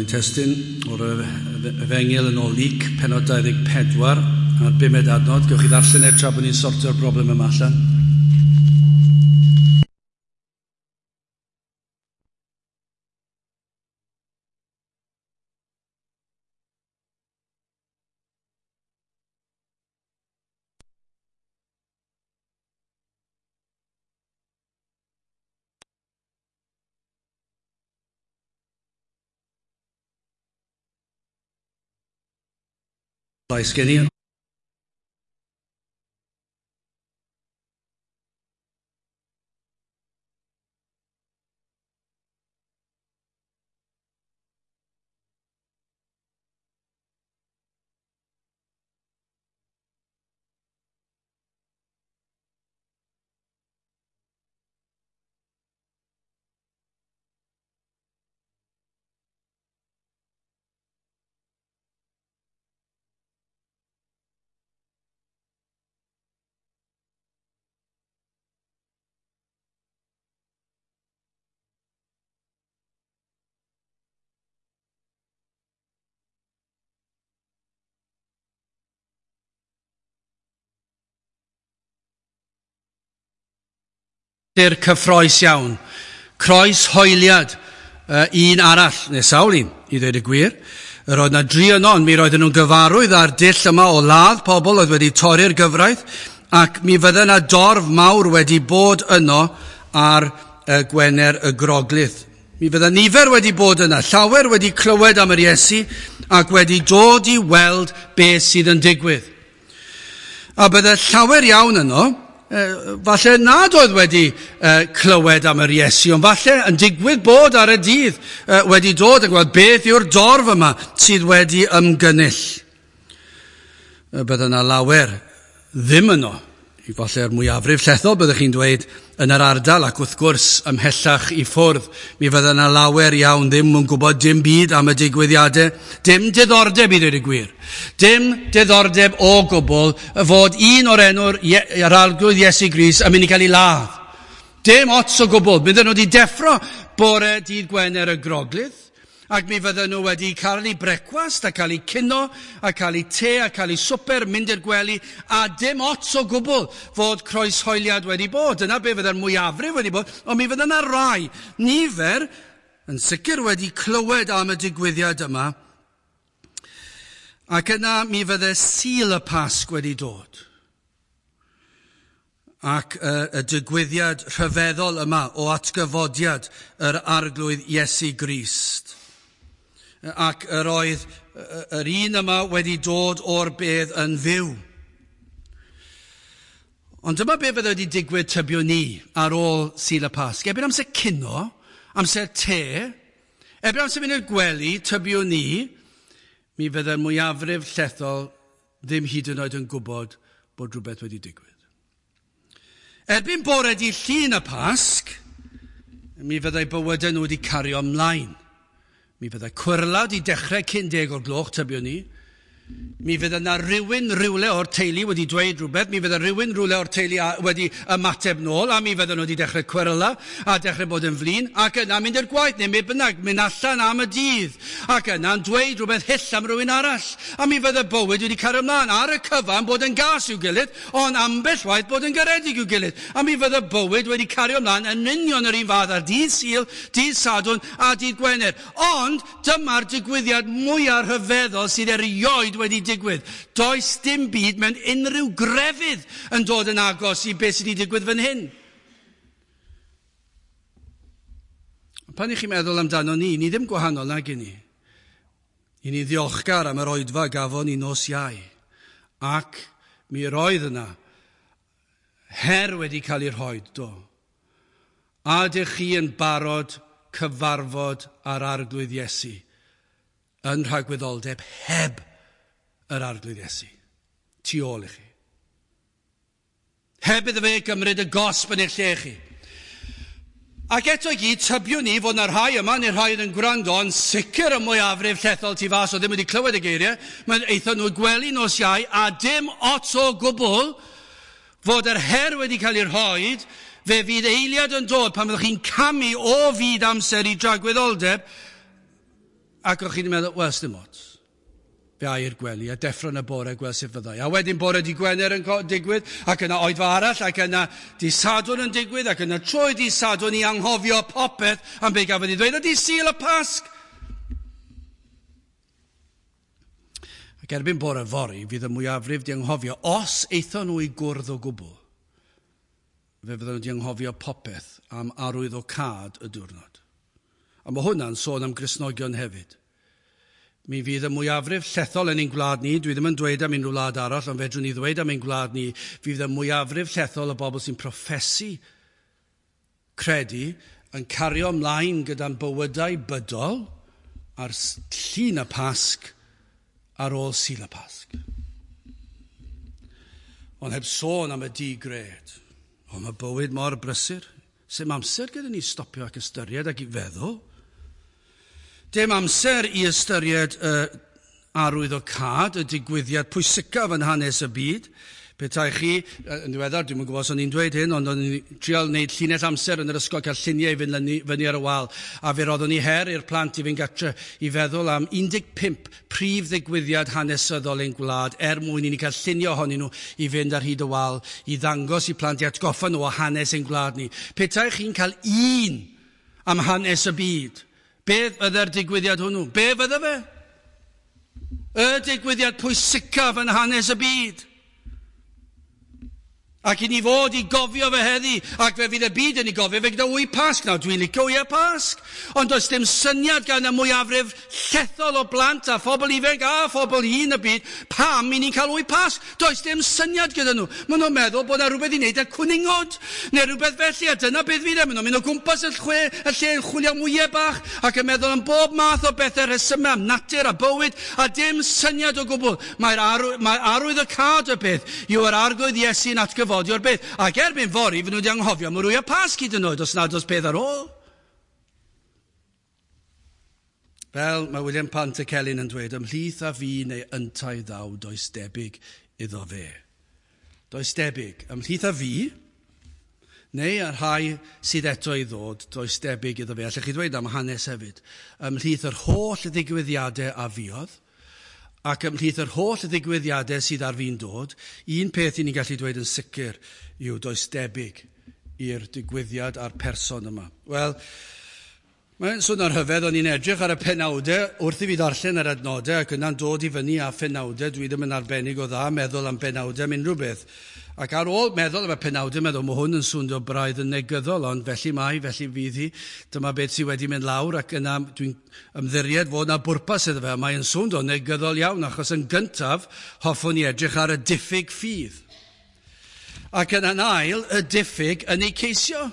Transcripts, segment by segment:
ein testun o'r Efengyl yn ôl Luc, pennod 24, a'r bumed adnod. Gewch chi ddarllen e tra bod ni'n sortio'r broblem yma allan. Llais gen i. Ystyr cyffroes iawn. Croeshoeliad un arall, neu sawl un, i ddweud y gwir. Yr oedd 'na dri yno, ond mi roedden nhw'n gyfarwydd â'r dull yma o ladd pobl oedd wedi torri'r gyfraith, ac mi fydde 'na dorf mawr wedi bod yno ar Gwener y Groglith. Mi fydde nifer wedi bod yna, llawer wedi clywed am yr Iesu ac wedi dod i weld beth sydd yn digwydd. A bydde llawer iawn yno, falle nad oedd wedi clywed am yr Iesu, ond falle yn digwydd bod ar y dydd wedi dod yn gweld beth yw'r dorf yma sydd wedi ymgynnull. Bydde yna lawer ddim yno, i falle'r mwyafrif llethol byddwch chi'n dweud yn yr ardal, ac wrth gwrs ymhellach i ffwrdd, mi fydde yna lawer iawn ddim yn gwybod dim byd am y digwyddiadau, dim diddordeb i ddweud y gwir, dim diddordeb o gwbl fod un o'r enw'r yr Arglwydd Iesu Grist yn mynd i gael ei ladd. Dim ots o gwbl. Bydden nhw wedi deffro bore dydd Gwener y Groglith, ac mi fydden nhw wedi cael eu brecwast a cael eu cino a cael eu te a cael eu swper, mynd i'r gwely, a dim ots o gwbl fod croeshoeliad wedi bod. Dyna be fydde'r mwyafrif wedi bod, ond mi fydde yna rai, nifer, yn sicr wedi clywed am y digwyddiad yma, ac yna mi fydde Sul y Pasg wedi dod. Ac y digwyddiad rhyfeddol yma o atgyfodiad yr Arglwydd Iesu Grist. Ac yr oedd yr un yma wedi dod o'r bedd yn fyw. Ond dyma be fydde wedi digwydd tybio ni ar ôl Sul y Pasg. Erbyn amser cino, amser te, erbyn amser mynd i'r gwely, tybio ni, mi fydde'r mwyafrif llethol ddim hyd yn oed yn gwybod bod rhywbeth wedi digwydd. Erbyn bore dydd Llun y Pasg, mi fyddai bywydau nhw wedi cario ymlaen. Mi fyddai cwyrla wedi dechrau cyn 10 o'r gloch, tybio ni. Mi fydde yna rywun rywle o'r teulu wedi dweud rhywbeth, mi fydde rywun rywle o'r teulu wedi ymateb nôl, a mi fydden nhw wedi dechrau cweryla a dechrau bod yn flin, ac yna mynd i'r gwaith, neu beth bynnag, mynd allan am y dydd, ac yna'n dweud rhywbeth hyll am rywun arall. A mi fydde bywyd wedi cario ymlaen ar y cyfan bod yn gas i'w gilydd, ond ambell waith bod yn garedig i'w gilydd. A mi fydde bywyd wedi cario ymlaen yn union yr un fath ar dydd Sul, dydd Sadwrn a dydd Gwener. Ond dyma'r digwyddiad mwyaf rhyfeddol sydd erioed wedi digwydd. Does dim byd mewn unrhyw grefydd yn dod yn agos i beth sydd wedi digwydd fan hyn. Pan i chi'n meddwl amdano ni, ni ddim gwahanol nag i ni. I ni ddiolchgar am yr oedfa gafon ni nos Iau. Ac mi roedd yna her wedi cael ei rhoi, do. A ydych chi yn barod cyfarfod â'r Arglwydd Iesu yn rhagwyddoldeb heb yr Arglwydd Iesu tu ôl i chi? Heb iddo fe gymryd y gosb yn eich lle chi. Ac eto i gyd, tybiwn ni fod yna rhai yma, neu rhai yn gwrando, yn sicr y mwyafrif llethol tu fas o ddim wedi clywed y geiriau, mae'n aethon nhw gwely nos Iau, a dim ots o gwbl fod yr her wedi cael ei rhoi, fe fydd eiliad yn dod pan fyddwch chi'n camu o fyd amser i dragwyddoldeb, Ac o'ch chi'n meddwl, wel, sdim ots. Fe ai i'r gwely a deffro yn y bore gweld sut fyddai. A wedyn bore di Gwener yn digwydd, ac yna oedfa arall, ac yna di Sadwrn yn digwydd, ac yna trwy di Sadwrn i anghofio popeth am be gafodd ei ddweud, a di Sul y Pasg. Ac erbyn bore fory, fydd y mwyafrif di anghofio, os aethon nhw i gwrdd o gwbl, fe fydden nhw di anghofio popeth am arwyddocâd y diwrnod. A mae hwnna'n sôn am Gristnogion hefyd. Mi fydd y mwyafrif llethol yn ein gwlad ni, dwi ddim yn dweud am unrhyw wlad arall, ond fedrwn ni ddweud am ein gwlad ni, fydd y mwyafrif llethol o bobl sy'n proffesu credu yn cario ymlaen gyda'n bywydau bydol ar Llun y Pasg ar ôl Sul y Pasg. Ond heb sôn am y di-gred. O, mae bywyd mor brysur. Sdim amser gyda ni stopio ac ystyried ac i feddwl. Dim amser i ystyried y arwyddocâd, y digwyddiad pwysicaf yn hanes y byd. Petai chi, yn ddiweddar, dwi'm yn gwybod os o'n i'n dweud hyn, ond o'n i'n trial wneud llinell amser yn yr ysgol, cael lluniau i fynd fyny ar y wal, a fe roeddwn i her i'r plant i fynd gatre i feddwl am 15 prif ddigwyddiad hanesyddol ein gwlad er mwyn i ni cael lluniau ohonyn nhw i fynd ar hyd y wal, i ddangos i plant, i atgoffa nhw o hanes ein gwlad ni. Petai chi'n cael un am hanes y byd, beth fydde'r digwyddiad hwnnw? Be fydde fe? Y digwyddiad pwysicaf yn hanes y byd. Ac i ni fod i gofio fe heddi, ac fe fydd y byd yn ei gofio fe gyda wy Pasg. Nawr, dwi'n licio wyau Pasg, ond does dim syniad gan y mwyafrif llethol o blant a phobl ifanc a phobl hŷn y byd pam i ni'n cael wy Pasg. Does dim syniad gyda nhw. Maen nhw'n meddwl bod yna rhywbeth i wneud â cwningod, neu rhywbeth felly, a dyna beth fydd e. Maen nhw'n mynd o gwmpas y lle, y lle yn chwilio am wyau bach, ac yn meddwl am bob math o bethau rhesymau am natur a bywyd, a dim syniad o gwbl. Mae'r arwy, mae arwyddocâd y peth yw yr Arglwydd Iesu'n atgyfodi o'r bedd. Ac erbyn fory, fy nhw wedi anghofio am yr wyau Pasg hyd yn oed, os nad oes peth ar ôl. Fel mae William Pantycelyn yn dweud, ymhlith a fi neu yntau ddaw, does debyg iddo fe. Does debyg. Ymhlith a fi, neu y rhai sydd eto i ddod, does debyg iddo fe. Allech chi ddweud am hanes hefyd. Ymhlith yr holl ddigwyddiadau a fuodd, ac ymhlith yr holl ddigwyddiadau sydd ar fin dod, un peth i ni'n gallu dweud yn sicr yw does debyg i'r digwyddiad a'r person yma. Wel, mae'n swnio'n rhyfedd, o'n i'n edrych ar y penawdau wrth i fi ddarllen yr adnodau ac yna'n dod i fyny â phenawdau, dwi ddim yn arbennig o dda meddwl am benawdau am unrhyw beth. Ac ar ôl meddwl am y penawdau, meddwl, mae hwn yn swnio braidd yn negyddol, ond felly mae, felly fydd hi. Dyma beth sydd wedi mynd lawr, ac yna dwi'n ymddiried fod yna bwrpas iddo fe, a mae'n swnio negyddol iawn, achos yn gyntaf, hoffwn i edrych ar y diffyg ffydd. Ac yn ail, y diffyg yn ei ceisio.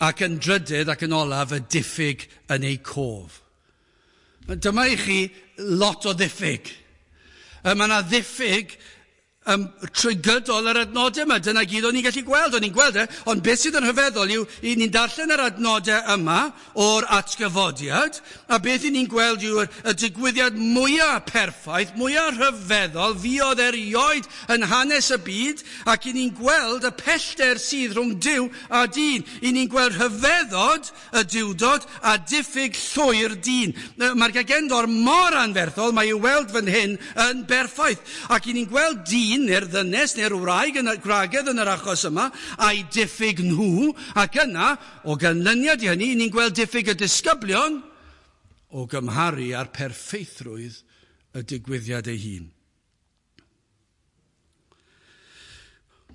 Ac yn drydydd ac yn olaf, y diffyg yn ei cof. Dyma i chi lot o ddiffyg. Mae yna ddiffyg trwy gydol yr adnodau yma. Dyna gyd o'n i'n gallu gweld, o'n i'n gweld e, ond beth sydd yn rhyfeddol yw, i ni'n darllen yr adnodau yma o'r atgyfodiad, a beth i ni'n gweld yw'r y digwyddiad mwyaf perffaith, mwyaf rhyfeddol, fuodd erioed yn hanes y byd, ac i ni'n gweld y pellter sydd rhwng Duw a dyn. I ni'n gweld rhyfeddod y duwdod a diffyg llwyr dyn. Mae'r gagendor mor anferthol, mae i'w weld fan hyn yn berffaith. Ac i ni'n gweld dyn neu'r ddynes neu'r wraig yn y gwragedd yn yr achos yma, a'i diffyg nhw, ac yna, o ganlyniad i hynny, ni'n gweld diffyg y disgyblion o gymharu â'r perffeithrwydd y digwyddiad ei hun.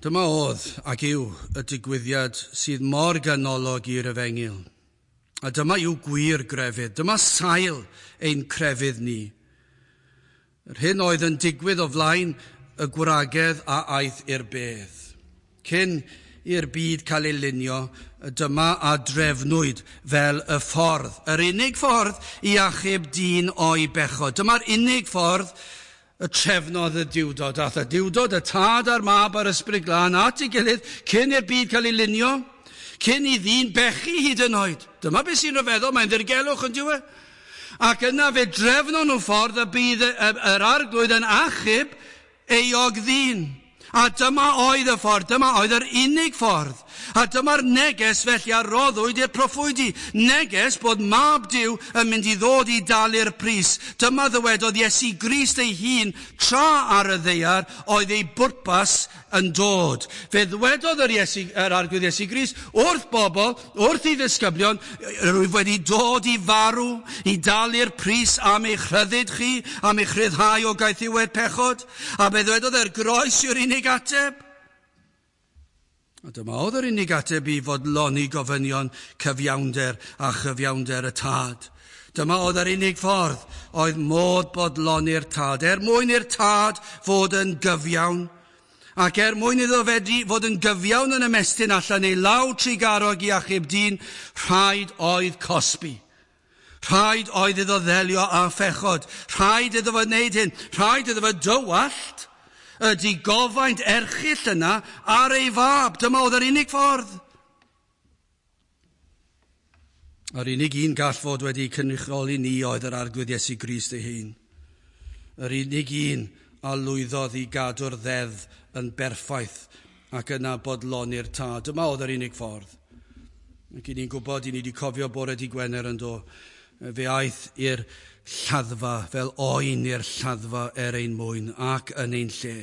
Dyma oedd ac yw y digwyddiad sydd mor ganolog i'r efengyl. A dyma yw gwir grefydd. Dyma sail ein crefydd ni. Yr hyn oedd yn digwydd o flaen y gwragedd a aeth i'r bedd. Cyn i'r byd cael ei lunio, dyma a drefnwyd fel y ffordd, yr unig ffordd i achub dyn o'i bechod. Dyma'r unig ffordd y trefnodd y duwdod. Ath y duwdod, y tad a'r mab a'r ysbryd glân at ei gilydd cyn i'r byd cael ei lunio, cyn i ddyn bechu hyd yn oed. Dyma beth sy'n rhyfeddol, mae'n ddirgelwch yn dyw e. Ac yna fe drefnon nhw ffordd y bydd yr arglwydd yn achub euog ddyn. A dyma oedd y ffordd, dyma oedd yr unig ffordd. A dyma'r neges felly a roddwyd i'r proffwydi. Neges bod Mab Duw yn mynd i ddod i dalu'r pris. Dyma ddywedodd Iesu Grist ei hun tra ar y ddaear oedd ei bwrpas yn dod. Fe ddywedodd yr Arglwydd Iesu Grist wrth bobl, wrth ei ddisgyblion, rwyf wedi dod i farw, i dalu'r pris am eich rhyddid chi, am eich rhyddhau o gaethiwed pechod. A fe ddywedodd e'r groes yw'r unig ateb. A dyma oedd yr unig ateb i fodloni gofynion cyfiawnder a chyfiawnder y Tad. Dyma oedd yr unig ffordd oedd modd bodloni'r Tad, er mwyn i'r Tad fod yn gyfiawn, ac er mwyn iddo fedru fod yn gyfiawn yn ymestyn allan ei law trugarog i achub dyn, rhaid oedd cosbi. Rhaid oedd iddo ddelio â phechod. Rhaid iddo fo wneud hyn. Rhaid iddo fo dywallt y digofaint erchyll yna ar ei fab. Dyma oedd yr unig ffordd. Yr unig un gall fod wedi cynrychioli ni oedd yr Arglwydd Iesu Grist ei hun. Yr unig un a lwyddodd i gadw'r ddeddf yn berffaith ac yna bodloni'r Tad. Dyma oedd yr unig ffordd. Ac i ni'n gwybod, i ni wedi cofio bore di Gwener yn do, fe aeth i'r lladdfa fel oen i'r lladdfa er ein mwyn ac yn ein lle.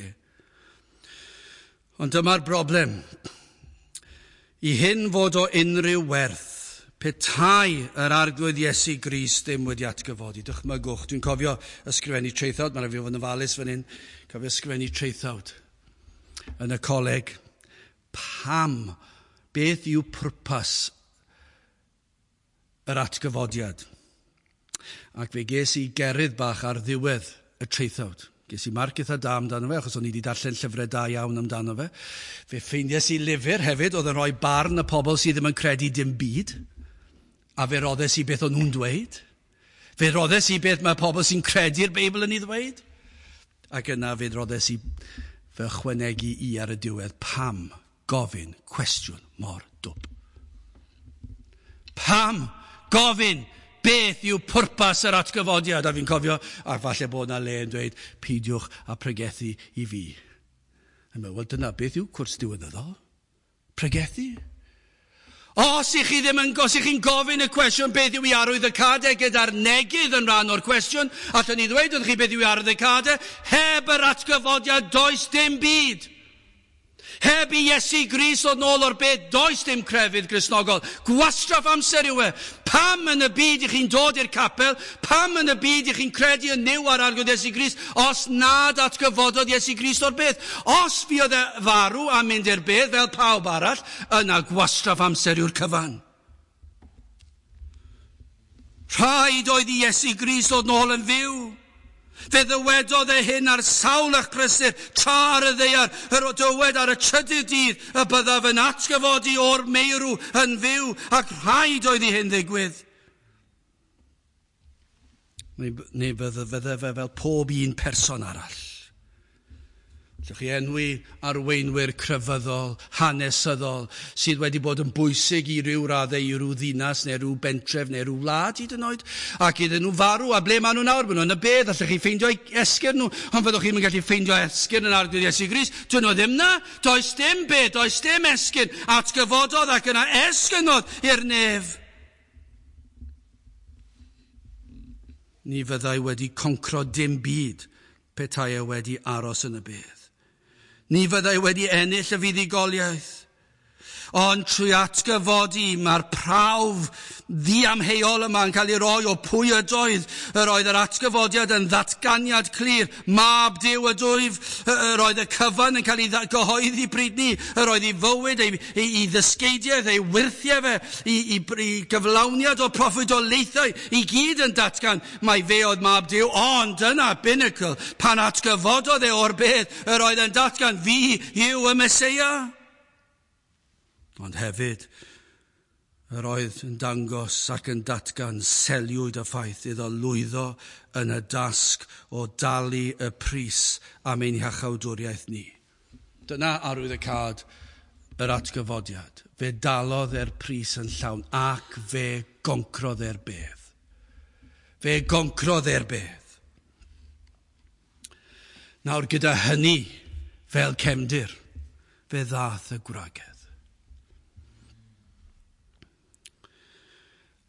Ond dyma'r broblem. I hyn fod o unrhyw werth, petai yr Arglwydd Iesu Grist ddim wedi atgyfodi. Dychmygwch, dwi'n cofio ysgrifennu traethawd, mae'n rhaid fi fod yn ofalus fan hyn, cofio ysgrifennu traethawd yn y coleg. Pam? Beth yw pwrpas yr atgyfodiad? Ac fe ges i gerydd bach ar ddiwedd y traethawd. Ges i marc eitha da amdano fe, achos o'n i wedi darllen llyfrau da iawn amdano fe. Fe ffeindiais i lyfr hefyd oedd yn rhoi barn y pobl sydd ddim yn credu dim byd. A fe roddes i beth o'n nhw'n dweud. Fe roddes i beth mae pobl sy'n credu'r Beibl yn ei ddweud. Ac yna fe roddes i fy ychwanegu i ar y diwedd pam gofyn cwestiwn mor dwp. Pam gofyn beth yw pwrpas yr atgyfodiad? A fi'n cofio, a falle bod yna le yn dweud, peidiwch a pregethu i fi. A meddwl, wel dyna beth yw cwrs diwynyddol? Pregethu? Os ych chi ddim yn, os ych chi'n gofyn y cwestiwn beth yw i arwydd y cadau gyda'r negydd yn rhan o'r cwestiwn, allwn ni ddweud wrth chi beth yw i arwydd y cadau, heb yr atgyfodiad does dim byd. Heb i Iesu Grist ddod nôl o'r bedd, does dim crefydd Gristnogol. Gwastraff amser yw e. Pam yn y byd i chi'n dod i'r capel? Pam yn y byd i chi'n credu yn Nuw a'r Arglwydd Iesu Grist os nad atgyfododd Iesu Grist o'r bedd? Os fuodd e farw a mynd i'r bedd fel pawb arall, yna gwastraff amser yw'r cyfan. Rhaid oedd i Iesu Grist ddod nôl yn fyw. Fe ddywedodd e hyn ar sawl achlysur, tra ar y ddaear, yr o dywed ar y trydydd dydd y byddaf yn atgyfodi o'r meirw yn fyw, ac rhaid oedd i hyn ddigwydd. Neu fydde fe fel pob un person arall. Allwch chi enwi arweinwyr crefyddol, hanesyddol, sydd wedi bod yn bwysig i ryw raddau i ryw ddinas neu ryw bentref neu ryw wlad hyd yn oed, ac iddyn nhw farw, a ble maen nhw nawr? Maen nhw yn y bedd, allwch chi ffeindio esgyrn nhw, ond fyddwch chi'n gallu ffeindio esgyrn yn Arglwydd Iesu Grist. Dyn nhw ddim na, does dim bedd, does dim esgyrn, atgyfododd ac yna esgynodd i'r nef. Ni fyddai wedi concro dim byd petai e wedi aros yn y bedd. Ni fyddai wedi ennill y fuddugoliaeth. Ond trwy atgyfodi, mae'r prawf ddiamheuol yma yn cael ei roi o pwy ydoedd. Yr oedd yr atgyfodiad yn ddatganiad clir, Mab Duw ydwyf. Yr oedd y cyfan yn cael ei gyhoeddi pryd ni. Yr oedd ei fywyd, ei ddysgeidiaeth, ei wyrthiau fe, ei gyflawniad o proffwydoliaethau, i gyd yn datgan mai fe oedd Mab Duw. Ond dyna binnacle, pan atgyfododd e o'r bedd, yr oedd yn datgan, fi yw y Meseia. Ond hefyd, yr oedd yn dangos ac yn datgan seliwyd y ffaith iddo lwyddo yn y dasg o dalu y pris am ein hiachawdwriaeth ni. Dyna arwyddocâd yr atgyfodiad. Fe dalodd e'r pris yn llawn ac fe goncrodd e'r bedd. Fe goncrodd e'r bedd. Nawr gyda hynny fel cefndir, fe ddath y gwragedd.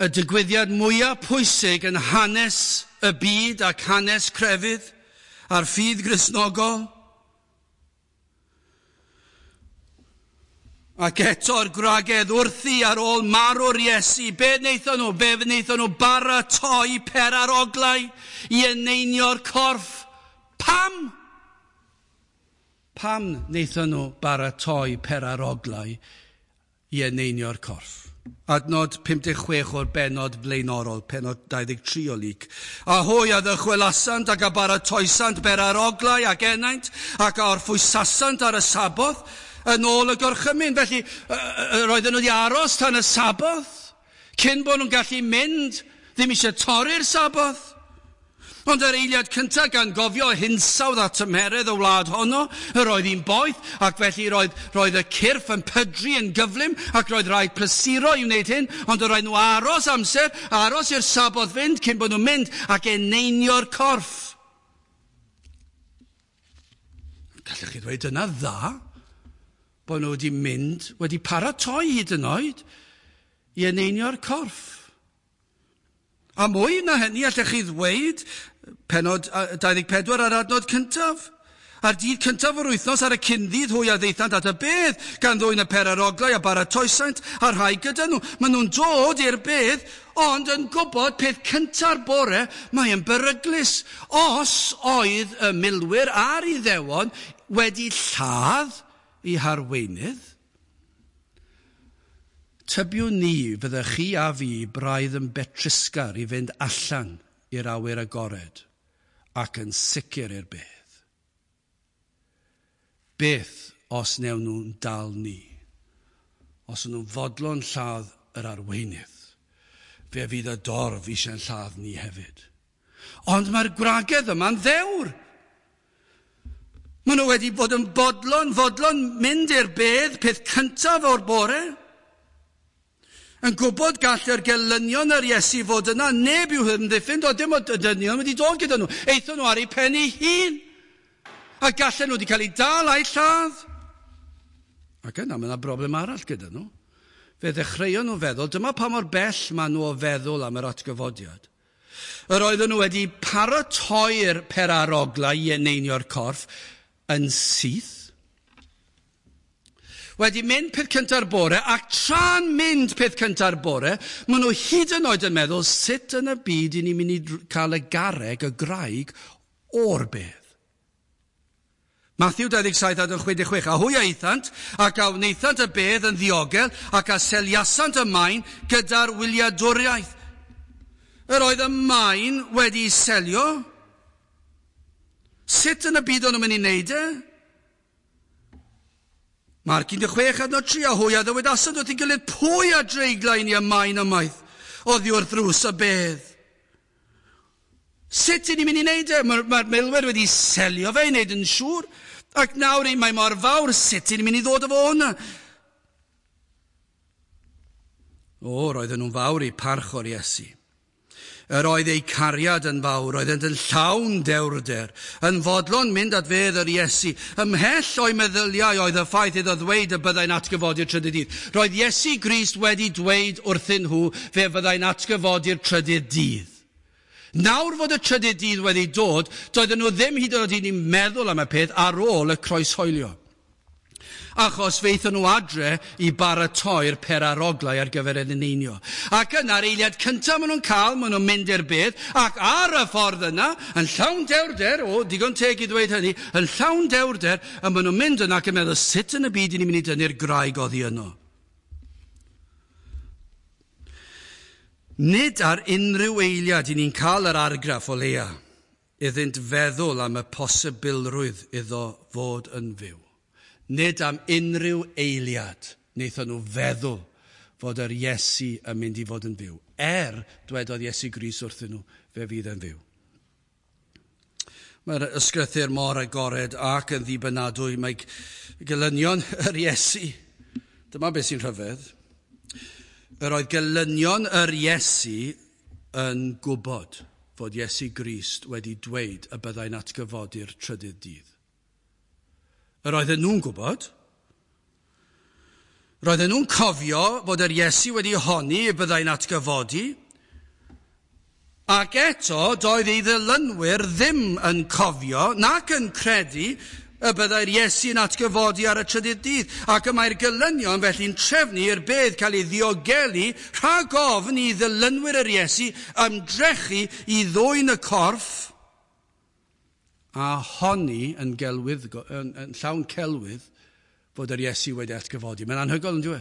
Y digwyddiad mwyaf pwysig yn hanes y byd ac hanes crefydd a'r ffydd Gristnogol. Ac eto'r gwragedd wrthi ar ôl marw'r Iesu, be wnaethon nhw? Be wnaethon nhw baratoi peraroglau i eneinio'r corff? Pam? Pam wnaethon nhw baratoi peraroglau i eneinio'r corff? Adnod 56 o'r bennod flaenorol, pennod 23 o Luc. A hwy a ddychwelasant ac a baratoesant beraroglau ac enaint ac a orffwysasant ar y Saboth yn ôl y gorchymyn. Felly, roedden nhw wedi aros tan y Saboth, cyn bod nhw'n gallu mynd, ddim eisiau torri'r Saboth. Ond yr eiliad cyntaf, gan gofio hinsawdd a tymheredd y wlad honno, yr oedd hi'n boeth, ac felly roedd y cyrff yn pydru yn gyflym, ac roedd rhaid prysuro i wneud hyn, ond roedd nhw aros amser, aros i'r Saboth fynd cyn bod nhw'n mynd ac eneinio'r corff. Gallech chi ddweud yna dda, bod nhw wedi mynd, wedi paratoi hyd yn oed i eneinio'r corff. A mwy na hynny, allech chi ddweud, pennod 24 ar adnod cyntaf. Ar dydd cyntaf o'r wythnos ar y cyndydd hwy a ddaethant at y bedd, gan ddwyn y peraroglau a baratoesant a rhai gyda nhw. Maen nhw'n dod i'r bedd, ond yn gwybod peth cynta'r bore, mae'n beryglus. Os oedd y milwyr a'r Iddewon wedi lladd eu harweinydd, tybiwn ni fyddech chi a fi braidd yn betrusgar i fynd allan i'r awyr agored ac yn sicr i'r bedd. Beth os newn nhw'n dal ni? Os nhw'n fodlon lladd yr arweinydd, fe fydd y dorf eisiau'n lladd ni hefyd. Ond mae'r gwragedd yma'n ddewr. Maen nhw wedi bod yn fodlon mynd i'r bedd peth cyntaf o'r bore. Yn gwybod gall yr gelynion yr Iesu fod yna, neb i'w hymddiffyn, doedd dim ond y dynion wedi dod gyda nhw. Aethon nhw ar eu pen eu hun. A gallen nhw wedi cael eu dal a'u lladd. Ac yna, mae yna broblem arall gyda nhw. Fe ddechreuon nhw feddwl, dyma pa mor bell maen nhw o feddwl am yr atgyfodiad. Yr oedden nhw wedi paratoi'r peraroglau i eneinio'r corff yn syth. Wedi mynd peth cynta'r bore, ac tra'n mynd peth cynta'r bore, maen nhw hyd yn oed yn meddwl sut yn y byd i ni'n mynd i cael y garreg, y graig, o'r bedd. Matthew 27 adnod 66, a hwy a aethant, ac a wnaethant y bedd yn ddiogel, ac a seliasant y maen gyda'r wyliadwriaeth. Yr oedd y maen wedi selio. Sut yn y byd o'n nhw'n mynd i wneud e? Marc 16 adnod 3, a hwy a ddywedasant wrth ei gilydd, pwy a dreigla i ni y maen ymaith oddi wrth ddrws y bedd? Sut i ni'n mynd i wneud e? Mae'r milwyr wedi selio fe i wneud yn siŵr, ac nawr mae mor fawr, sut i ni'n mynd i ddod o fo hwnna? O, roedden nhw'n fawr i parch o'r Iesu. Yr oedd eu cariad yn fawr, oeddent yn llawn dewrder, yn fodlon mynd at fedd yr Iesu. Ymhell o'i meddyliau oedd y ffaith iddo ddweud y byddai'n atgyfodi'r trydydd dydd. Roedd Iesu Grist wedi dweud wrthyn nhw fe fyddai'n atgyfodi'r trydydd dydd. Nawr fod y trydydd dydd wedi dod, doedden nhw ddim hyd yn oed yn meddwl am y peth ar ôl y croeshoelio. Achos feithon nhw adre i baratoi'r peraroglau ar gyfer yr eneinio. Ac yna'r eiliad cyntaf maen nhw'n cael, maen nhw'n mynd i'r bedd, ac ar y ffordd yna, yn llawn dewrder, o, digon teg i ddweud hynny, yn llawn dewrder, a maen nhw'n mynd yna ac yn meddwl, sut yn y byd i ni'n mynd i dynnu'r graig oddi yno? Nid ar unrhyw eiliad i ni'n cael yr argraff o leia, iddynt feddwl am y posibilrwydd iddo fod yn fyw. Nid am unrhyw eiliad wnaethon nhw feddwl fod yr Iesu yn mynd i fod yn fyw. Dwedodd Iesu Grist wrthyn nhw, fe fydd yn fyw. Mae'r ysgrythur mor agored ac yn ddibynadwy. Mae gelynion yr Iesu. Dyma beth sy'n rhyfedd. Yr oedd gelynion yr Iesu yn gwybod fod Iesu Grist wedi dweud y byddai'n atgyfodi'r trydydd dydd. Yr oedden nhw'n gwybod. Roedden nhw'n cofio fod yr Iesu wedi honni y byddai'n atgyfodi, ac eto doedd ei ddilynwyr ddim yn cofio nac yn credu y byddai'r Iesu yn atgyfodi ar y trydydd dydd, ac y mae'r gelynion felly'n trefnu i'r bedd cael ei ddiogelu rhag ofn i ddilynwyr yr Iesu ymdrechu i ddwyn y corff a honni yn gelwydd, yn llawn celwydd fod yr Iesu wedi atgyfodi. Mae'n anhygoel, yn dwi?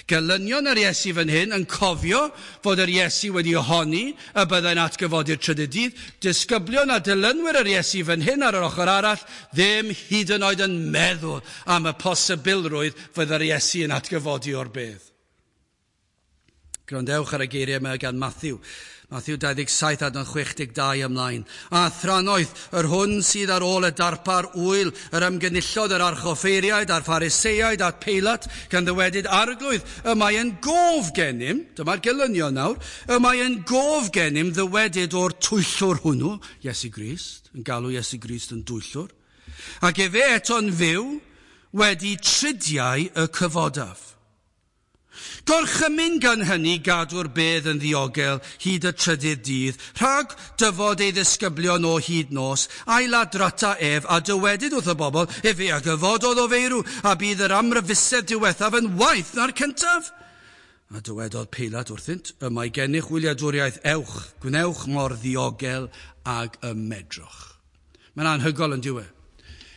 Gelynion yr Iesu fan hyn yn cofio fod yr Iesu wedi ohoni y byddai'n atgyfodi'r trydydd dydd. Disgyblion a dilynwyr yr Iesu fan hyn ar yr ochr arall ddim hyd yn oed yn meddwl am y posibilrwydd fydd yr Iesu yn atgyfodi o'r bedd. Gwrandewch ar y geiriau yma gan Matthew. Matthew 27 adnod 62 ymlaen. A thranoeth, yr hwn sydd ar ôl y darpar wyl, yr ymgynullodd yr archoffeiriaid a'r Phariseaid a'r Peilat, gan ddywedyd arglwydd, y mae yn gof gennym, dyma'r gelynion nawr, y mae yn gof gennym ddywedyd o'r twyllwr hwnnw, Iesu Grist, yn galw Iesu Grist yn dwyllwr, ac efe eto'n fyw wedi tridiau y cyfodaf. Gorchymyn gan hynny gadw'r bedd yn ddiogel hyd y trydydd dydd, rhag dyfod ei ddisgyblion o hyd nos, a'i ladrata ef, a dywedyd wrth y bobl, efe a gyfododd o feirw, a bydd yr amryfusedd diwethaf yn waeth na'r cyntaf. A dywedodd Peilat wrthynt, y mae gennych wyliadwriaeth, ewch, gwnewch mor ddiogel ag y medrwch. Mae'n anhygoel yn diwedd.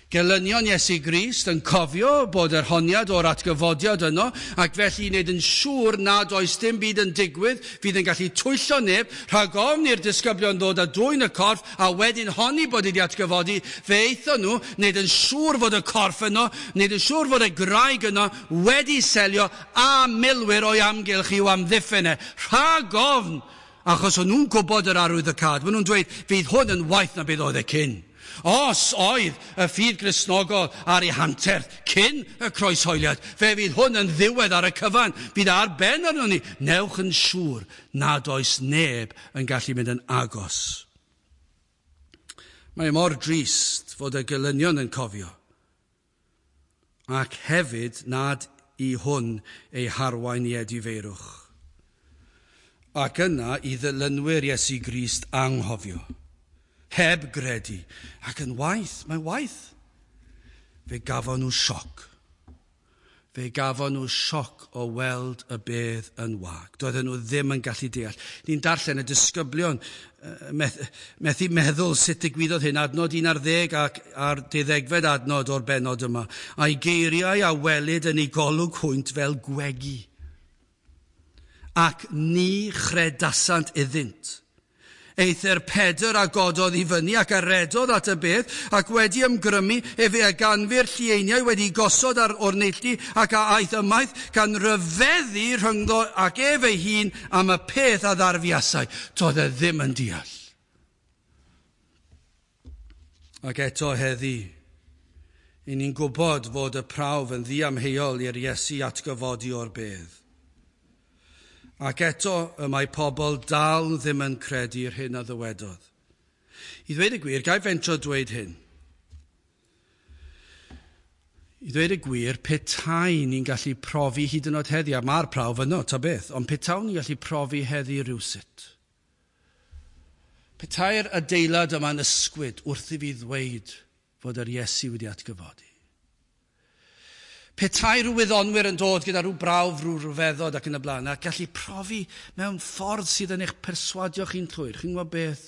Gelynion Iesu Grist yn cofio bod yr honiad o'r atgyfodiad yno, ac felly i wneud yn siŵr nad oes dim byd yn digwydd fydd yn gallu twyllo neb, rhag ofn i'r disgyblion ddod a dwyn y corff, a wedyn honni bod wedi atgyfodi, fe aethon nhw wneud yn siŵr fod y corff yno, wneud yn siŵr fod y graig yno wedi selio a milwyr o'i amgylch i'w amddiffyn e. Rhag ofn, achos o'n nhw'n gwybod yr arwyddocâd, maen nhw'n dweud, fydd hwn yn waeth na beth oedd e cyn. Os oedd y ffydd Gristnogol ar ei hanterth cyn y croeshoeliad, fe fydd hwn yn ddiwedd ar y cyfan, fydd ar ben arno ni. Newch yn siŵr nad oes neb yn gallu mynd yn agos. Mae mor drist fod y gelynion yn cofio, ac hefyd nad i hwn ei harwain i edifeirwch. Ac yna i ddilynwyr Iesu Grist anghofio. Heb gredu, ac yn waith, mae'n waith. Fe gafon nhw sioc. Fe gafon nhw sioc o weld y bedd yn wag. Doedden nhw ddim yn gallu deall. Ni'n darllen y disgyblion methu meddwl sut digwyddodd hyn. Adnod 11 ac a'r 12fed adnod o'r bennod yma. A'i geiriau a welid yn ei golwg hwynt fel gwegi. Ac ni chredasant iddynt. Eithr Pedr a gododd i fyny ac a redodd at y bedd, ac wedi ymgrymu efe a ganfu'r llieiniau wedi gosod ar o'r neilltu ac a aeth ymaith, gan ryfeddu rhyngddo ac ef ei hun am y peth a ddarfuasai. Doedd e ddim yn deall. Ac eto heddi, i ni'n gwybod fod y prawf yn ddiamheuol i'r Iesu atgyfodi o'r bedd. Ac eto y mae pobl dal ddim yn credu'r hyn a ddywedodd. I ddweud y gwir, gai fentro dweud hyn. I ddweud y gwir, petai ni'n gallu profi hyd yn oed heddi, a mae'r prawf yno, ta beth, ond petawn ni'n gallu profi heddi rhywsut. Petai'r adeilad yma'n ysgwyd wrth i fi ddweud fod yr Iesu wedi atgyfodi. Petai rhyw wyddonwyr yn dod gyda rhyw brawf, rhyw ryfeddod ac yn y blaen, a gallu profi mewn ffordd sydd yn eich perswadio chi'n llwyr. Chi'n gwybod beth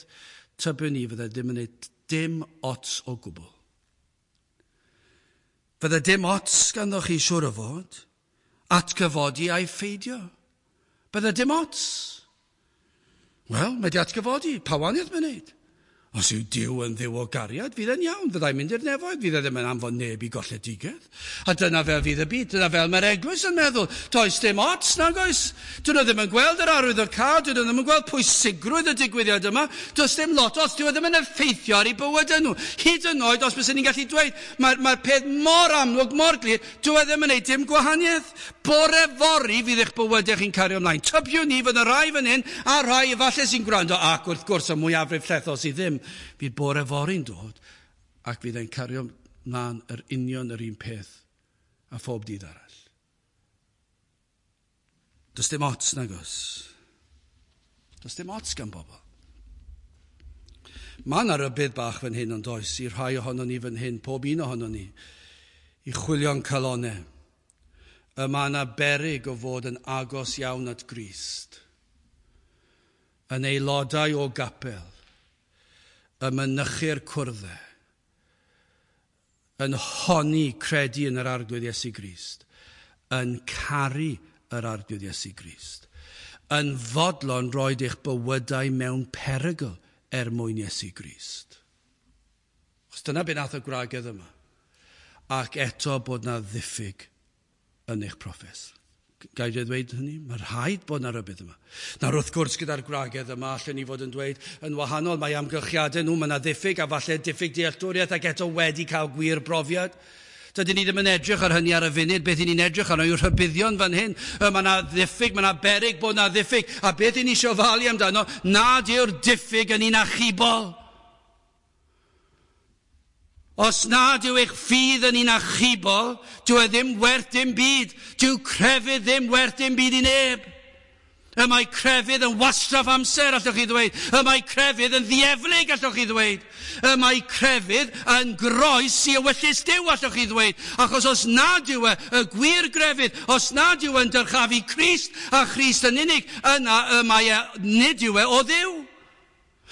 tybiwn ni fydde ddim yn gwneud dim ots o gwbl. Fydde dim ots ganddo chi siŵr o fod, atgyfodi a'i pheidio. Bydde dim ots. Wel, mae di atgyfodi, pa wahaniaeth mae'n wneud? Os yw Duw yn Dduw o gariad, fydd e'n iawn, fyddai'n mynd i'r nefoedd, fydd e ddim yn anfon neb i golledigaeth. A dyna fel fydd y byd, dyna fel mae'r eglwys yn meddwl. Does dim ots, nag oes. Dyn nhw ddim yn gweld yr arwyddocâd, dyn nhw ddim yn gweld pwysigrwydd y digwyddiad yma. Does dim lot ots, dyw e ddim yn effeithio ar eu bywydau nhw. Hyd yn oed, os byswn ni'n gallu dweud, mae'r peth mor amlwg, mor glir, dyw e ddim yn gwneud dim gwahaniaeth. Bore fory fydd eich bywydau chi'n cario ymlaen. Tybiwn ni fydd y rai fan hyn, a rhai efallai sy'n gwrando, ac wrth gwrs y mwyafrif llethol sydd ddim, fydd bore fory'n dod ac fydd e'n cario mlaen yr union yr un peth a phob dydd arall. Does dim ots nagos. Does dim ots gan bobl. Mae yna rybudd bach fan hyn ond oes i rhai ohonon ni fan hyn, pob un ohonon ni, i chwilio'n calonau. Y mae yna beryg o fod yn agos iawn at Grist, yn aelodau o gapel, y mynychu'r cwrddau, yn honni credu yn yr Arglwydd Iesu Grist, yn caru yr Arglwydd Iesu Grist, yn fodlon roed eich bywydau mewn perygl er mwyn Iesu Grist. Chos dyna be nath y gwragedd yma. Ac eto bod na ddiffyg yn eich proffes. Gai i ddweud hynny? Mae rhaid bod na rybudd yma. Nawr wrth gwrs gyda'r gwragedd yma, allen ni fod yn dweud yn wahanol, mae amgylchiadau nhw, mae yna ddiffyg a falle diffyg dealltwriaeth ac eto wedi cael gwir brofiad. Dydyn ni ddim yn edrych ar hynny ar y funud. Beth ni'n edrych arno yw'r rhybuddion fan hyn. Mae yna ddiffyg, mae yna beryg bod yna ddiffyg. A beth i ni eisiau falu amdano, nad yw'r diffyg yn un achubol. Os nad yw eich ffydd yn un achubol, dyw e ddim werth dim byd. Dyw crefydd ddim werth dim byd i neb. Y mae crefydd yn wastraff amser, allwch chi ddweud. Y mae crefydd yn ddieflig, allwch chi ddweud. Y mae crefydd yn groes i ewyllys Duw, allwch chi ddweud. Achos os nad yw e y gwir grefydd, os nad yw e'n dyrchafu Crist a Christ yn unig, yna y mae e, nid yw e o Dduw.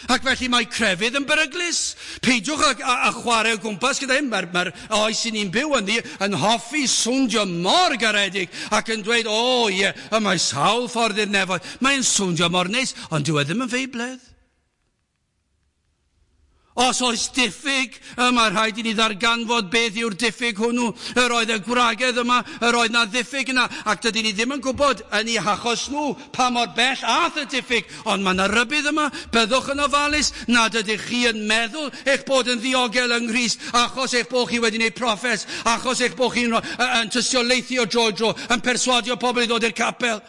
Ac felly mae crefydd yn beryglus. Peidiwch a chwarae o gwmpas gyda hyn. Mae'r oes i ni'n byw ynddi yn hoffi swndio mor garedig ac yn dweud, o ie, y mae sawl ffordd i'r nefoedd. Mae'n swndio mor neis, ond dyw e ddim yn feibledd. Os oes diffyg, mae rhaid i ni ddarganfod beth yw'r diffyg hwnnw. Yr oedd y gwragedd yma, yr oedd na ddiffyg yna, ac dydyn ni ddim yn gwybod yn eu hachos nhw pa mor bell ath y diffyg, ond mae yna rybudd yma, byddwch yn ofalus nad ydych chi yn meddwl eich bod yn ddiogel yng Nghrist, achos eich bod chi wedi gwneud proffes, achos eich bod chi'n yn tystiolaethu o dro i dro, yn perswadio pobl i ddod i'r capel.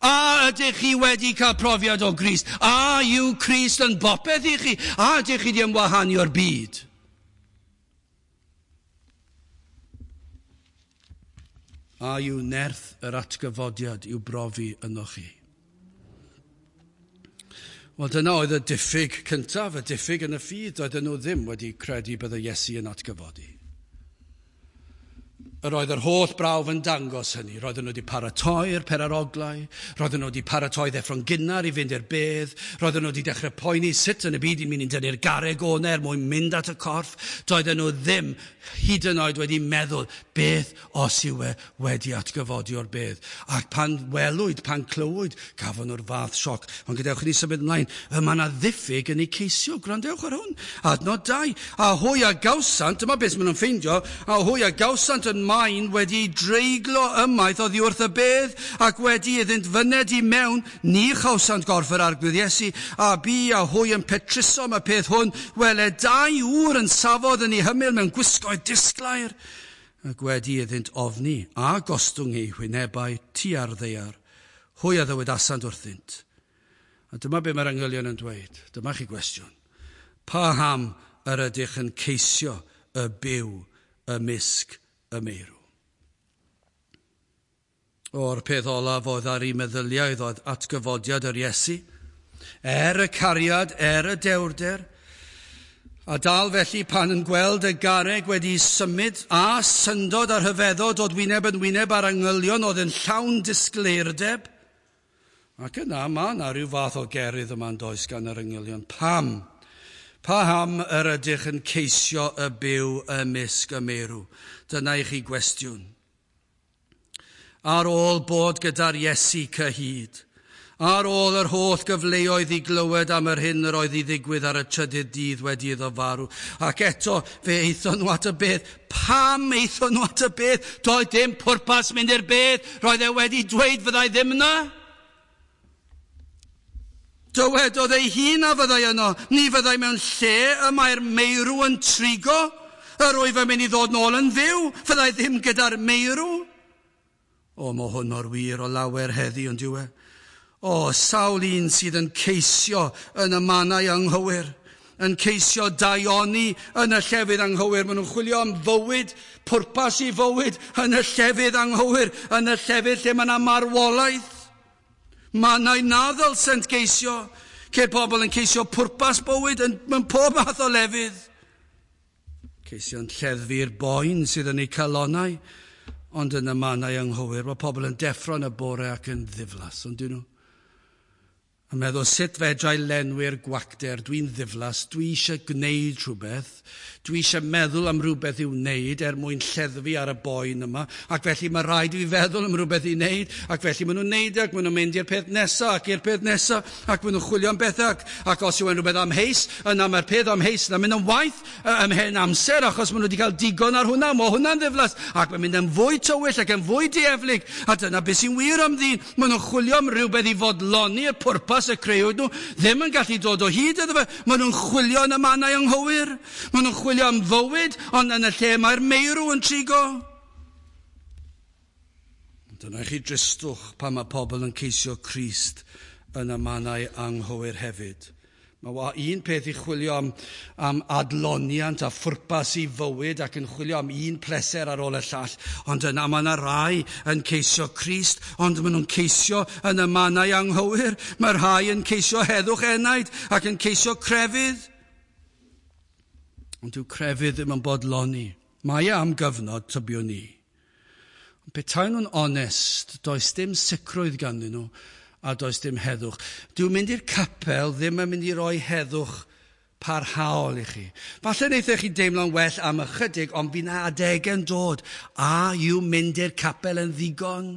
A ydych chi wedi cael profiad o Grist? A yw Crist yn bopeth i chi? A ydych chi wedi ymwahanu o'r byd? A yw nerth yr atgyfodiad i'w brofi ynoch chi? Wel, dyna oedd y diffyg cyntaf, y diffyg yn y ffydd. Doedden nhw ddim wedi credu byddai Iesu yn atgyfodi. Yr oedd yr holl brawf yn dangos hynny. Roedden nhw wedi paratoi'r peraroglau, roedden nhw wedi paratoi ddeffro'n gynnar i fynd i'r bedd, roedden nhw wedi dechrau poeni sut yn y byd i'n mynd i dynnu'r garreg o'na er mwyn mynd at y corff. Doedden nhw ddim hyd yn oed wedi meddwl beth os yw e wedi atgyfodi o'r bedd. Ac pan welwyd, pan clywyd, gafon nhw'r fath sioc. Ond gadewch i ni symud ymlaen, y mae yna ddiffyg yn eu ceisio. Gwrandewch ar hwn. Adnod 2. A hwy a gawsant, dyma beth maen nhw'n ffeindio, a hwy a gawsant yn maen wedi dreiglo ymaith oddi wrth y bedd, ac wedi iddynt fyned i mewn, ni chawsant gorff yr Arglwydd Iesu, a bu a hwy yn petruso am y peth hwn, wele dau ŵr yn safodd yn ei hymyl mewn gwisgoedd disglair, ac wedi iddynt ofni a gostwng eu hwynebau tua'r ddaear, hwy a ddywedasant wrthynt. A dyma be mae'r angylion yn dweud. Dyma chi gwestiwn. Paham yr ydych yn ceisio y byw ymysg y meirw? O'r peth olaf oedd ar ei meddyliau oedd atgyfodiad yr Iesu, er y cariad, er y dewrder, a dal felly pan yn gweld y garreg wedi symud a syndod a rhyfeddod dod wyneb yn wyneb ar angylion oedd yn llawn disgleirdeb. Ac yna mae yna rhyw fath o gerydd yma'n does gan yr angylion. Pam? Paham yr ydych yn ceisio y byw ymysg y meirw? Dyna i chi gwestiwn. Ar ôl bod gyda'r Iesu cyhyd, ar ôl yr holl gyfleoedd i glywed am yr hyn yr oedd i ddigwydd ar y trydydd dydd wedi iddo farw, ac eto fe aethon nhw at y bedd. Pam aethon nhw at y bedd? Doedd dim pwrpas mynd i'r bedd. Roedd e wedi dweud fyddai ddim yna. Dywedodd ei hun a fyddai yno. Ni fyddai mewn lle y mae'r meirw yn trigo. Yr wyf yn mynd i ddod nôl yn fyw. Fyddai ddim gyda'r meirw. O, mae hwn mor wir o lawer heddi, ond yw e? O, sawl un sydd yn ceisio yn y mannau anghywir, yn ceisio daioni yn y llefydd anghywir. Maen nhw'n chwilio am fywyd, pwrpas i fywyd yn y llefydd anghywir, yn y llefydd lle mae yna marwolaeth. Mannau na ddylsent geisio. Ceir pobl yn ceisio pwrpas bywyd mewn pob math o lefydd. Ceisio'n lleddfu'r boen sydd yn eu calonnau, ond yn y mannau anghywir. Mae pobl yn deffro yn y bore ac yn ddiflas, ond dyn nhw? A meddwl, sut fedra i lenwi'r gwacter? Dwi'n ddiflas, dwi eisiau gwneud rhywbeth, dwi eisiau meddwl am rhywbeth i'w wneud er mwyn lleddfu ar y boen yma, ac felly mae rhaid i fi feddwl am rhywbeth i wneud, ac felly maen nhw'n wneud e, ac maen nhw'n mynd i'r peth nesaf, ac i'r peth nesaf, ac maen nhw'n chwilio am bethau, ac os yw e'n rhywbeth amheus, yna mae'r peth amheus yna'n mynd yn waeth ymhen amser, achos maen nhw wedi cael digon ar hwnna, mae hwnna'n ddiflas, ac mae'n mynd yn fwy tywyll ac yn fwy dieflig, a dyna beth sy'n wir am ddyn. Maen nhw'n chwilio am rhywbeth i fodloni y pwrpas y creuwyd nhw, ddim yn gallu dod o hyd iddo fe. Maen nhw'n chwilio yn y mannau anghywir. Maen nhw'n chwilio am fywyd, ond yn y lle mae'r meirw yn trigo. Dyna chi dristwch pan mae pobl yn ceisio Crist yn y mannau anghywir hefyd. Mae un peth i chwilio am adloniant a phwrpas i fywyd ac yn chwilio am un pleser ar ôl y llall, ond yna mae yna rai yn ceisio Crist, ond maen nhw'n ceisio yn y mannau anghywir. Mae rhai yn ceisio heddwch enaid ac yn ceisio crefydd. Ond dyw crefydd ddim yn bodloni. Mae e am gyfnod, tybiwn ni. Ond petai nhw'n onest, does dim sicrwydd ganddyn nhw, a does dim heddwch. Dyw mynd i'r capel ddim yn mynd i roi heddwch parhaol i chi. Falle wnaethoch chi deimlo'n well am ychydig, ond fydd 'na adegau'n dod. A yw mynd i'r capel yn ddigon?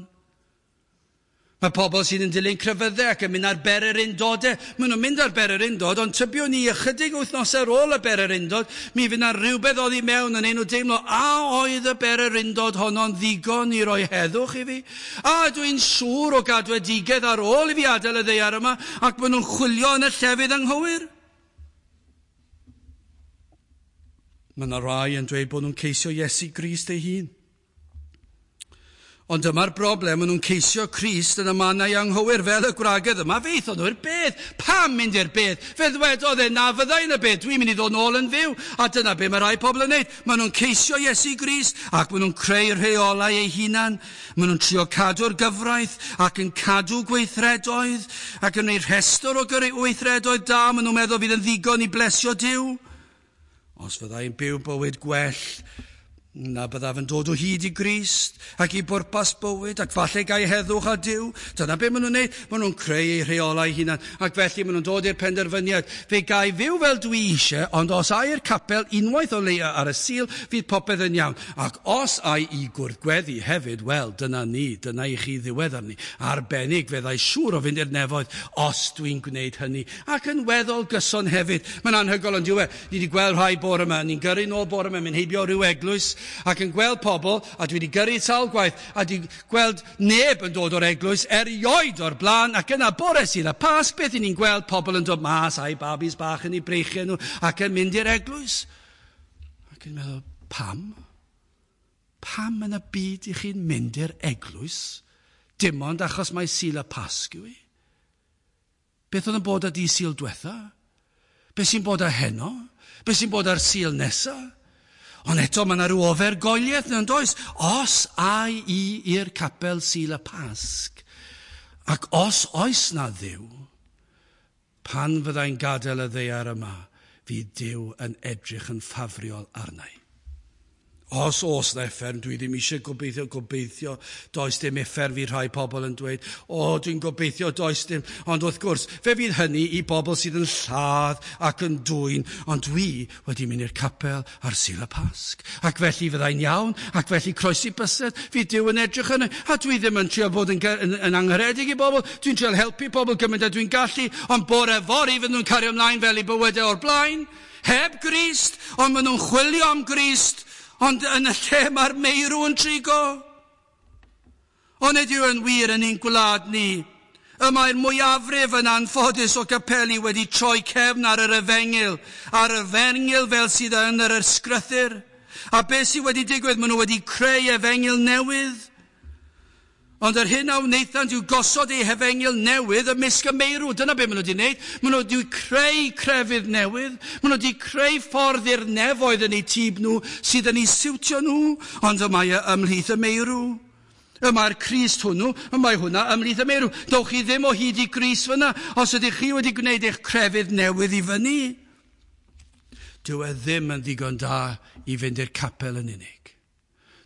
Mae pobl sydd yn dilyn crefyddau ac yn mynd ar bererindodau. Maen nhw'n mynd ar bererindod, ond tybiwn ni ychydig wythnosau ar ôl y bererindod, mi fydd 'na rhywbeth oddi mewn yn ein nhw deimlo, a oedd y bererindod honno'n ddigon i roi heddwch i fi? A dwi'n siŵr o gadwedigaeth ar ôl i fi adael y ddaear yma, ac maen nhw'n chwilio yn y llefydd anghywir. Mae yna rai yn dweud bod nhw'n ceisio Iesu Grist ei hun. Ond dyma'r broblem, maen nhw'n ceisio Crist yn y mannau anghywir fel y gwragedd yma. Fe aethon nhw i'r bedd. Pam mynd i'r bedd? Fe ddwedodd e na fyddai yn y bedd. Dwi'n mynd i ddod nôl yn fyw. A dyna be mae rai pobl yn neud. Maen nhw'n ceisio Iesu Grist ac maen nhw'n creu rheolau eu hunan. Maen nhw'n trio cadw'r gyfraith ac yn cadw gweithredoedd ac yn gwneud rhestr o gweithredoedd da. Maen nhw'n meddwl fydd yn ddigon i blesio Duw. Os fyddai'n byw bywyd gwell, na byddaf yn dod o hyd i Grist ac i bwrpas bywyd ac falle gai heddwch a Duw. Dyna be maen nhw'n neud. Maen nhw'n creu eu rheolau hunan ac felly maen nhw'n dod i'r penderfyniad. Fe gai fyw fel dwi eisiau, ond os ai i'r capel unwaith o leia ar y Sul, fydd popeth yn iawn. Ac os ai i gwrdd gweddi hefyd, wel, dyna ni, dyna i chi ddiwedd arni. Arbennig, fyddai siŵr o fynd i'r nefoedd os dwi'n gwneud hynny. Ac yn weddol gyson hefyd. Mae'n anhygoel ond yw e. Ni wedi gweld rhai bore yma, ni'n gyrru nôl bore yma, mynd heibio rhyw eglwys, ac yn gweld pobl, a dwi wedi gyrru sawl gwaith, a wedi gweld neb yn dod o'r eglwys erioed o'r blaen, ac yna bore Sul y Pasg, beth i ni'n gweld pobl yn dod mas a'u babis bach yn eu breichiau nhw, ac yn mynd i'r eglwys. Ac yn meddwl, pam? Pam yn y byd i chi'n mynd i'r eglwys? Dim ond achos mae Sul y Pasg yw i. Beth oedd yn bod ar di Sul diwetha? Beth sy'n bod ar heno? Beth sy'n bod ar Sul nesa? Ond eto mae yna rhyw ofergoeliaeth yn does? Os ai i i'r capel Sul y Pasg, ac os oes na Dduw, pan fyddai'n gadael y ddaear yma, fydd Duw yn edrych yn ffafriol arnau. Os oes na uffern, dwi ddim eisiau gobeithio, does dim uffern, fi rhai pobl yn dweud, o, dwi'n gobeithio, does dim. Ond wrth gwrs, fe fydd hynny i bobl sydd yn lladd ac yn dwyn, ond dwi wedi mynd i'r capel ar Sul y Pasg. Ac felly fyddai'n iawn, ac felly croesi bysedd, fydd Duw yn edrych yna. A dwi ddim yn trio bod yn angharedig i bobl, dwi'n trio helpu pobl gymaint a dwi'n gallu, ond bore fory fydden nhw'n cario ymlaen fel i bywydau o'r blaen, heb Grist, ond maen nhw'n chwilio am Grist, ond yn y lle mae'r meirw yn trigo. Ond ydyw yn wir yn ein gwlad ni. Y mae'r mwyafrif yn anffodus o gapeli wedi troi cefn ar yr efengyl, ar yr efengyl fel sydd yn yr ysgrythur. A beth sydd wedi digwydd? Maen nhw wedi creu efengyl newydd. Ond yr hyn a wnaethant yw gosod eu hefengyl newydd ymysg y meirw. Dyna beth maen nhw wedi wneud. Maen nhw wedi creu crefydd newydd. Maen nhw wedi creu ffordd i'r nefoedd yn eu tîb nhw sydd yn eu siwtio nhw, ond y mae ymhlith y meirw. Y mae'r Crist hwnnw, y mae hwnna ymhlith y meirw. Dowch chi ddim o hyd i Grist fyna os ydych chi wedi gwneud eich crefydd newydd i fyny. Dyw e ddim yn ddigon da i fynd i'r capel yn unig.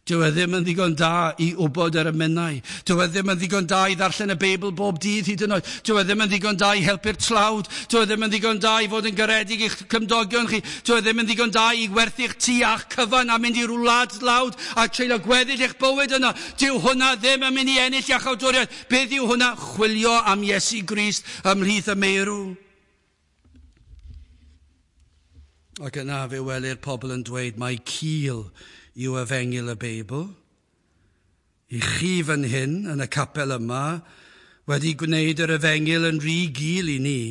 Dyw e ddim yn ddigon da i wybod yr emynau. Dyw e ddim yn ddigon da i ddarllen y Beibl bob dydd hyd yn oed. Dyw e ddim yn ddigon da i helpu'r tlawd. Dyw e ddim yn ddigon da i fod yn garedig i'ch cymdogion chi. Dyw e ddim yn ddigon da i werthu'ch tŷ a'ch cyfan a mynd i wlad dlawd a treulio gweddill eich bywyd yna. Dyw hwnna ddim yn mynd i ennill iachawdwriaeth. Beth yw hwnna? Chwilio am Iesu Grist ymhlith y meirw. Ac yna fe welir pobl yn dweud mai cul yw efengyl y Beibl. I chi fan hyn, yn y capel yma, wedi gwneud yr efengyl yn rhy gul i ni.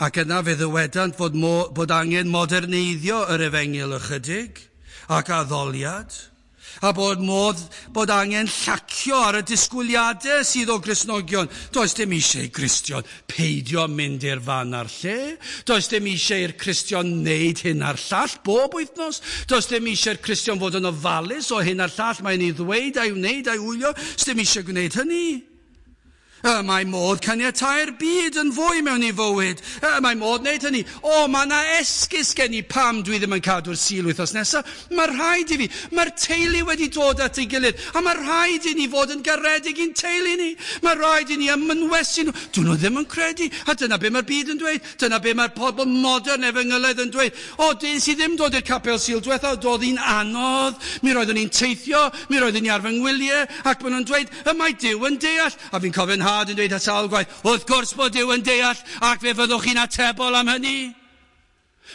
Ac yna fe ddywedant fod angen moderneiddio yr efengyl ychydig ac addoliad, a bod angen llacio ar y disgwyliadau sydd o Gristnogion. Does dim eisiau i Gristion peidio mynd i'r fan a'r lle. Does dim eisiau i'r Cristion wneud hyn a'r llall bob wythnos. Does dim eisiau i'r Cristion fod yn ofalus o hyn a'r llall mae'n ei ddweud a'i wneud a'i wylio. Does dim eisiau gwneud hynny. Mae modd caniatau'r byd yn fwy mewn i fywyd. Mae modd wneud hynny. O, mae yna esgus gen i pam dwi ddim yn cadw'r Sul wythnos nesaf. Mae rhaid i fi. Mae'r teulu wedi dod at ei gilydd. A mae rhaid i ni fod yn garedig i'n teulu ni. Mae rhaid i ni ymynwesu nhw. Dyn nhw ddim yn credu. A dyna be mae'r byd yn dweud. Dyna be mae'r pobl modern efengylaidd yn dweud. O, dyn sydd ddim dod i'r capel Sul diwethaf, doedd hi'n anodd. Mi roeddwn ni'n teithio. Mi roeddwn ni ar fy ngwyliau. Ac maen nhw'n dweud, y mae Duw yn deall. A fi'n cofio'n nhad yn dweud at sawl gwaith, wrth gwrs bod Duw yn deall, ac fe fyddwch chi'n atebol am hynny.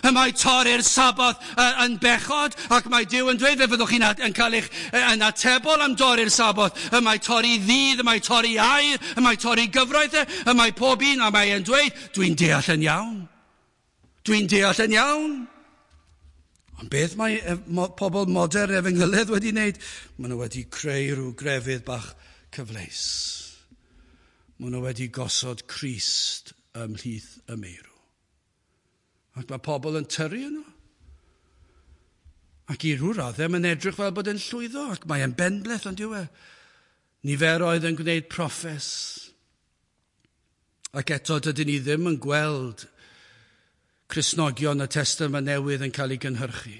Y mae torri'r Saboth yn bechod, ac mae Duw yn dweud fe fyddwch chi'n yn cael eich yn atebol am dorri'r Saboth. Y mae torri ddydd, y mae torri air, y mae torri gyfraith, y mae pob un, a mae e'n dweud, dwi'n deall yn iawn. Dwi'n deall yn iawn. Ond beth mae pobl modern efengylydd wedi wneud? Maen nhw wedi creu rhyw grefydd bach cyfleus. Maen nhw wedi gosod Crist ymhlith y meirw. Ac mae pobl yn tyrru yno. Ac i ryw raddau mae'n edrych fel bod e'n llwyddo, ac mae e'n benbleth, ond yw e. Niferoedd yn gwneud proffes. Ac eto dydyn ni ddim yn gweld Cristnogion y Testament Newydd yn cael ei gynhyrchu.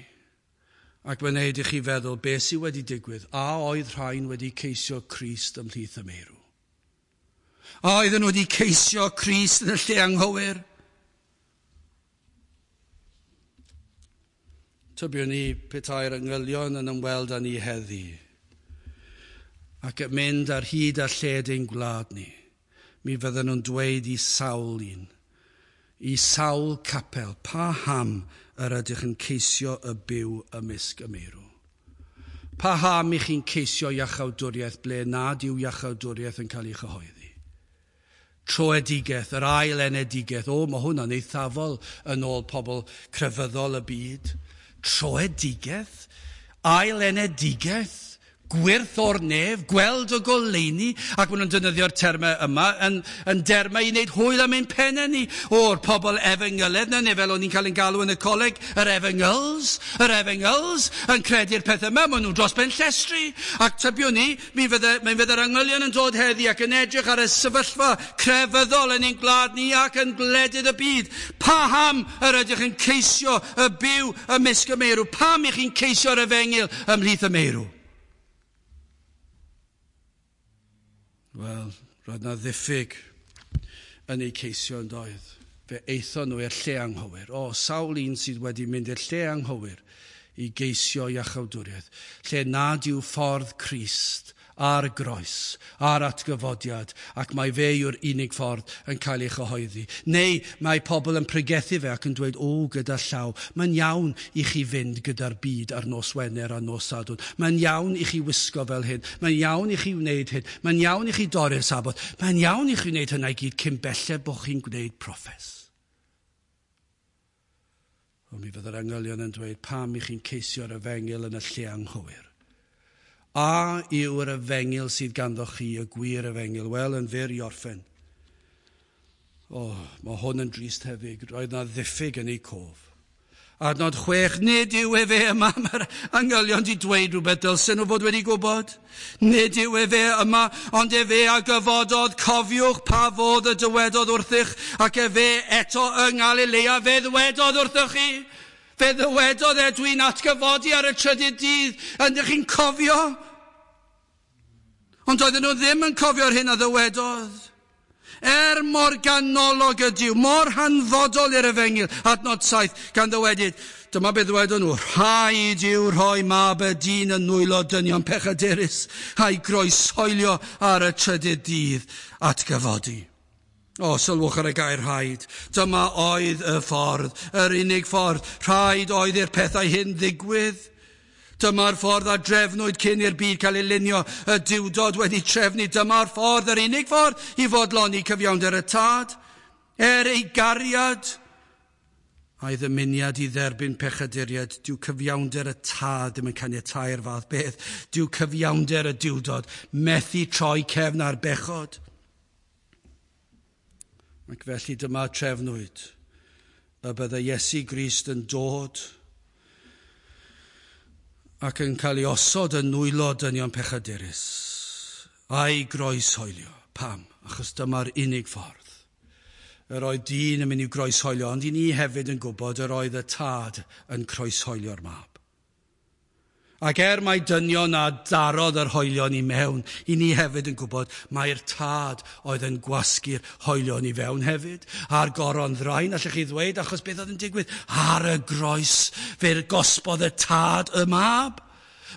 Ac mae'n neud i chi feddwl beth sydd wedi digwydd. A oedd rhain wedi ceisio Crist ymhlith y meirw? A oedden nhw wedi ceisio Crist yn y lle anghywir? Tybiwn ni petai'r angylion yn ymweld â ni heddi ac yn mynd ar hyd a lled ein gwlad ni, mi fydden nhw'n dweud i sawl un, i sawl capel, paham yr ydych yn ceisio y byw ymysg y meirw? Paham i chi'n ceisio iachawdwriaeth ble nad yw iachawdwriaeth yn cael ei chyhoeddi? Troedigaeth, yr ail enedigaeth, o, mae hwnna'n eithafol yn ôl pobl crefyddol y byd. Troedigaeth, ail enedigaeth, gwyrth o'r nef, gweld y goleuni, ac maen nhw'n defnyddio'r termau yma yn dermau i wneud hwyl am ein pennau ni. O'r pobl efengyledd na, neu fel o'n i'n cael ein galw yn y coleg, yr efengyls, yn credu'r peth yma, maen nhw dros ben llestri. Ac tybiwn ni, mi fydde'r angylion yn dod heddi ac yn edrych ar y sefyllfa crefyddol yn ein gwlad ni ac yn gwledydd y byd. Paham yr ydych yn ceisio y byw ymysg y meirw? Pam ych chi'n ceisio'r efengyl ymhlith y meirw? Wel, roedd na ddiffyg yn eu ceisio yn doedd. Fe aethon nhw i'r lle anghywir. O, sawl un sydd wedi mynd i'r lle anghywir i geisio iachawdwriaeth, lle nad yw ffordd Crist a'r groes, a'r atgyfodiad, ac mae fe yw'r unig ffordd yn cael ei chyhoeddi. Neu mae pobl yn pregethu fe ac yn dweud, o, gyda llaw, mae'n iawn i chi fynd gyda'r byd ar nos Wener a nos Sadwrn. Mae'n iawn i chi wisgo fel hyn. Mae'n iawn i chi wneud hyn. Mae'n iawn i chi dorri'r Saboth. Mae'n iawn i chi wneud hynna i gyd cyn belled bod chi'n gwneud proffes. Ond mi fydde'r angylion yn dweud, pam i chi'n ceisio'r efengyl yn y lle anghywir? A yw'r efengyl sydd ganddo chi, y gwir efengyl? Wel, yn fyr i orffen. O, mae hwn yn drist hefyd. Roedd na ddiffyg yn eu cof. Adnod 6, nid yw efe yma, mae'r angylion di dweud rhywbeth dylsen nhw fod wedi gwybod. Nid yw efe yma, ond efe a gyfododd, cofiwch pa fodd y dywedodd wrthych, ac efe eto yng Nghalilea, fe ddywedodd wrthych chi. Fe ddywedodd e, dwi'n atgyfodi ar y trydydd dydd, ydych chi'n cofio? Ond oedden nhw ddim yn cofio'r hyn a ddywedodd. Er mor ganolog ydyw, mor hanfodol i'r efengyl, adnod 7, gan ddywedyd, dyma beth ddywedon nhw, rhaid yw rhoi mab y dyn yn nwylo dynion pechadurus, a'i groeshoelio ar y trydydd dydd atgyfodi. O, sylwch ar y gair rhaid. Dyma oedd y ffordd, yr unig ffordd. Rhaid oedd i'r pethau hyn ddigwydd. Dyma'r ffordd a drefnwyd cyn i'r byd cael ei lunio, y Duwdod wedi trefnu. Dyma'r ffordd, yr unig ffordd i fodloni cyfiawnder y Tad. Er ei gariad a'i ddymuniad i dderbyn pechaduriaid, dyw cyfiawnder y Tad ddim yn caniatáu'r fath beth. Dyw cyfiawnder y Duwdod methu troi cefn ar bechod. Ac felly dyma trefnwyd y bydde Iesu Grist yn dod ac yn cael ei osod yn nwylo dynion pechadurus, a'i groeshoelio. Pam? Achos dyma'r unig ffordd. Yr oedd dyn yn mynd i'w groeshoelio, ond i ni hefyd yn gwybod yr oedd y Tad yn croeshoelio'r mab. Ac er mai dynion a darodd yr hoelion i mewn, i ni hefyd yn gwybod mai'r Tad oedd yn gwasgu'r hoelion i fewn hefyd. A'r goron ddrain, allwch chi ddweud, achos beth oedd yn digwydd? Ar y groes, fe'r gosbodd y Tad y mab.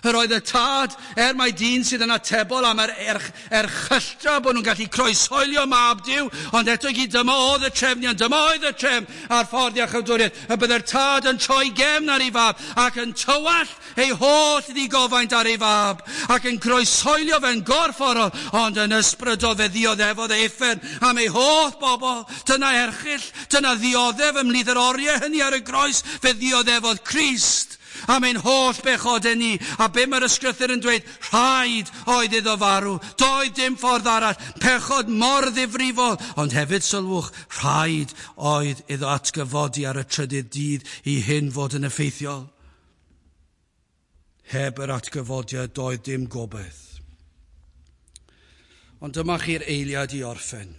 Yr oedd y Tad, er mai dyn sydd yn atebol am yr erchylltra bod nhw'n gallu croeshoelio mab Duw, ond eto i gyd dyma oedd y trefniant, dyma oedd y trefn a'r ffordd iachawdwriaeth, y byddai'r Tad yn troi gefn ar ei fab ac yn tywallt ei holl ddigofaint ar ei fab ac yn croeshoelio fe'n gorfforol, ond yn ysbrydol fe ddioddefodd ei uffern am ei holl bobl. Dyna erchyll, dyna ddioddef ymhlith yr oriau hynny ar y groes, fe ddioddefodd Crist am ein holl bechodau ni. A be mae'r ysgrythur yn dweud? Rhaid oedd iddo farw. Doedd dim ffordd arall. Pechod mor ddifrifol. Ond hefyd sylwch, rhaid oedd iddo atgyfodi ar y trydydd dydd i hyn fod yn effeithiol. Heb yr atgyfodiad doedd dim gobaith. Ond dyma chi'r eiliad i orffen.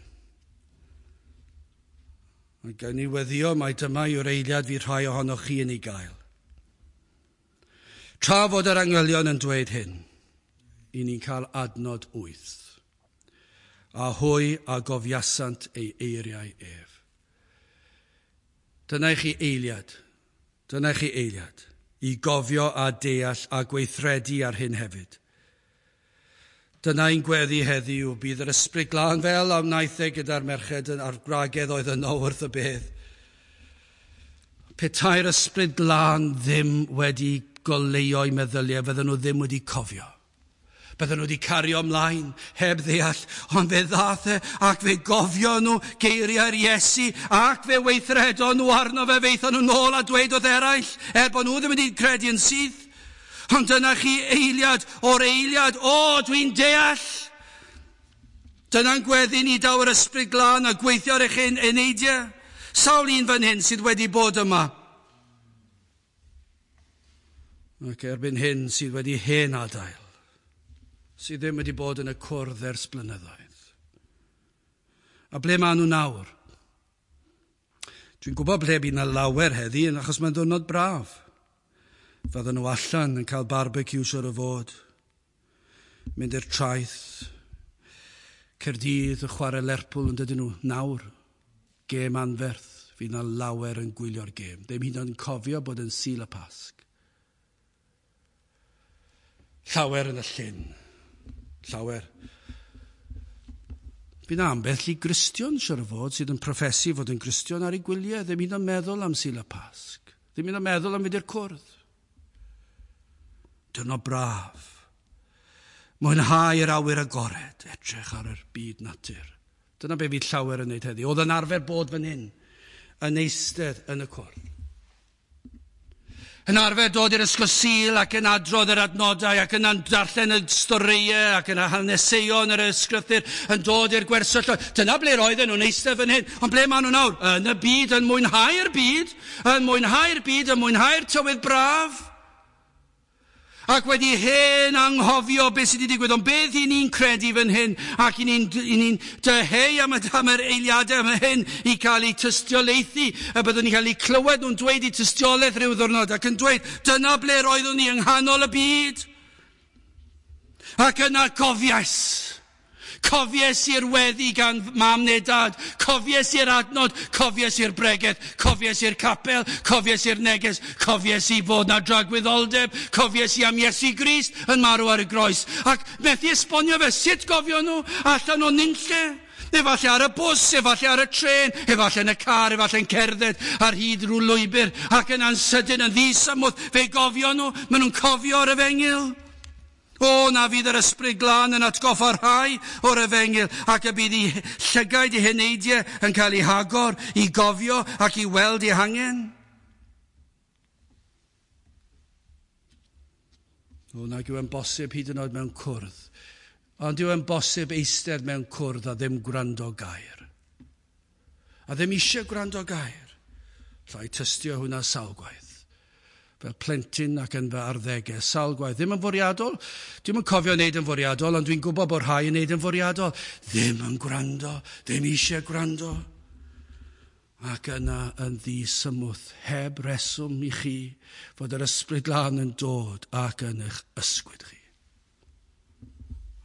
Mae gen i weddio mai dyma yw'r eiliad fydd rhai ohonoch chi yn ei gael. Tra fod yr angylion yn dweud hyn, i ni'n cael adnod 8. A hwy a gofiasant ei eiriau ef. Dyna i chi eiliad, dyna i chi eiliad, i gofio a deall a gweithredu ar hyn hefyd. Dyna ein gweddi heddiw, bydd yr Ysbryd Glân fel a wnaeth e gyda'r merched a'r gwragedd oedd yno wrth y bedd. Petai'r Ysbryd Glân ddim wedi goleuo'i meddyliau, fydden nhw ddim wedi cofio. Bydden nhw wedi cario ymlaen heb ddeall, ond fe ddath e ac fe gofio nhw geiriau'r Iesu ac fe weithredon nhw arno fe, feithon nhw nôl a dweud wrth eraill, er bod nhw ddim wedi credu yn syth. Ond dyna chi eiliad o'r eiliad, o, dwi'n deall. Dyna'n gweddi ni daw yr Ysbryd Glân a gweithio ar eich eneidiau. Sawl un fan hyn sydd wedi bod yma. Ac erbyn hyn sydd wedi hen adael, sydd ddim wedi bod yn y cwrdd ers blynyddoedd. A ble maen nhw nawr? Dwi'n gwybod ble bydd yna lawer heddi, achos mae'n ddiwrnod braf. Fydden nhw allan yn cael barbecue siwr o fod, mynd i'r traeth, Caerdydd yn chwarae Lerpwl yn dydyn nhw nawr. Gêm anferth, fydd yna lawer yn gwylio'r gêm. Ddim hyd yn oed yn cofio bod yn Sul y Pasg. Llawer yn y llyn. Llawer. Fydd yna ambell i Gristion, siwr o fod, sydd yn proffesu fod yn Gristion ar ei gwyliau, ddim hyd yn oed meddwl am Sul y Pasg. Ddim hyd yn oed meddwl am fynd i'r cwrdd. Diwrnod braf. Mwynhau yr awyr agored, edrych ar yr byd natur. Dyna be fydd llawer yn wneud heddi. Oedd yn arfer bod fan hyn, yn eistedd yn y cwrdd. Yn arfer dod i'r ysgol Sul ac yn adrodd yr adnodau ac yn darllen y storïau ac yn haneseuon yr ysgrythur yn dod i'r gwersylloedd. Dyna ble roedden nhw'n eistedd fan hyn. Ond ble maen nhw nawr? Yn y byd, yn mwynhau'r byd, yn mwynhau'r byd, yn mwynhau'r tywydd braf. Ac wedi hen anghofio beth sydd wedi digwydd. Ond beth i ni'n credu fan hyn, ac i ni'n dyheu am yr eiliadau am hyn i cael eu tystiolaethu, a byddwn ni'n cael eu clywed nhw'n dweud eu tystiolaeth rhyw ddwrnod, ac yn dweud, dyna ble roeddwn ni yng nghanol y byd. Ac yna cofiais. Cofies i'r weddi gan mam neu dad, cofies i'r adnod, cofies i'r bregeth, cofies i'r capel, cofies i'r neges, cofies i fod na dragwyddoldeb, cofies i am Iesu Grist yn marw ar y groes. Ac methu esbonio fe, sut gofio nhw allan o nunlle? Efallai ar y bws, efallai ar y trên, efallai yn y car, efallai yn cerdded ar hyd rhyw lwybr, ac yna'n sydyn yn ddisymwth, fe gofio nhw, maen nhw'n cofio o'r efengyl. O, na fydd yr ysbryd glân yn atgoffa rhai o'r efengyl, ac y bydd eu llygaid eu heneidiau yn cael eu hagor i gofio ac i weld eu hangen. O, nag yw e'n bosib hyd yn oed mewn cwrdd. Ond yw e'n bosib eistedd mewn cwrdd a ddim gwrando gair. A ddim eisiau gwrando gair. Llai tystio hwnna sawl gwaith. Fel plentyn ac yn fy arddegau, sawl gwaith. Ddim yn fwriadol, dwi'm yn cofio wneud yn fwriadol, ond dwi'n gwybod bod rhai yn wneud yn fwriadol. Ddim yn gwrando, ddim eisiau gwrando. Ac yna yn ddisymwth, heb reswm i chi, fod yr ysbryd glân yn dod ac yn eich ysgwyd chi.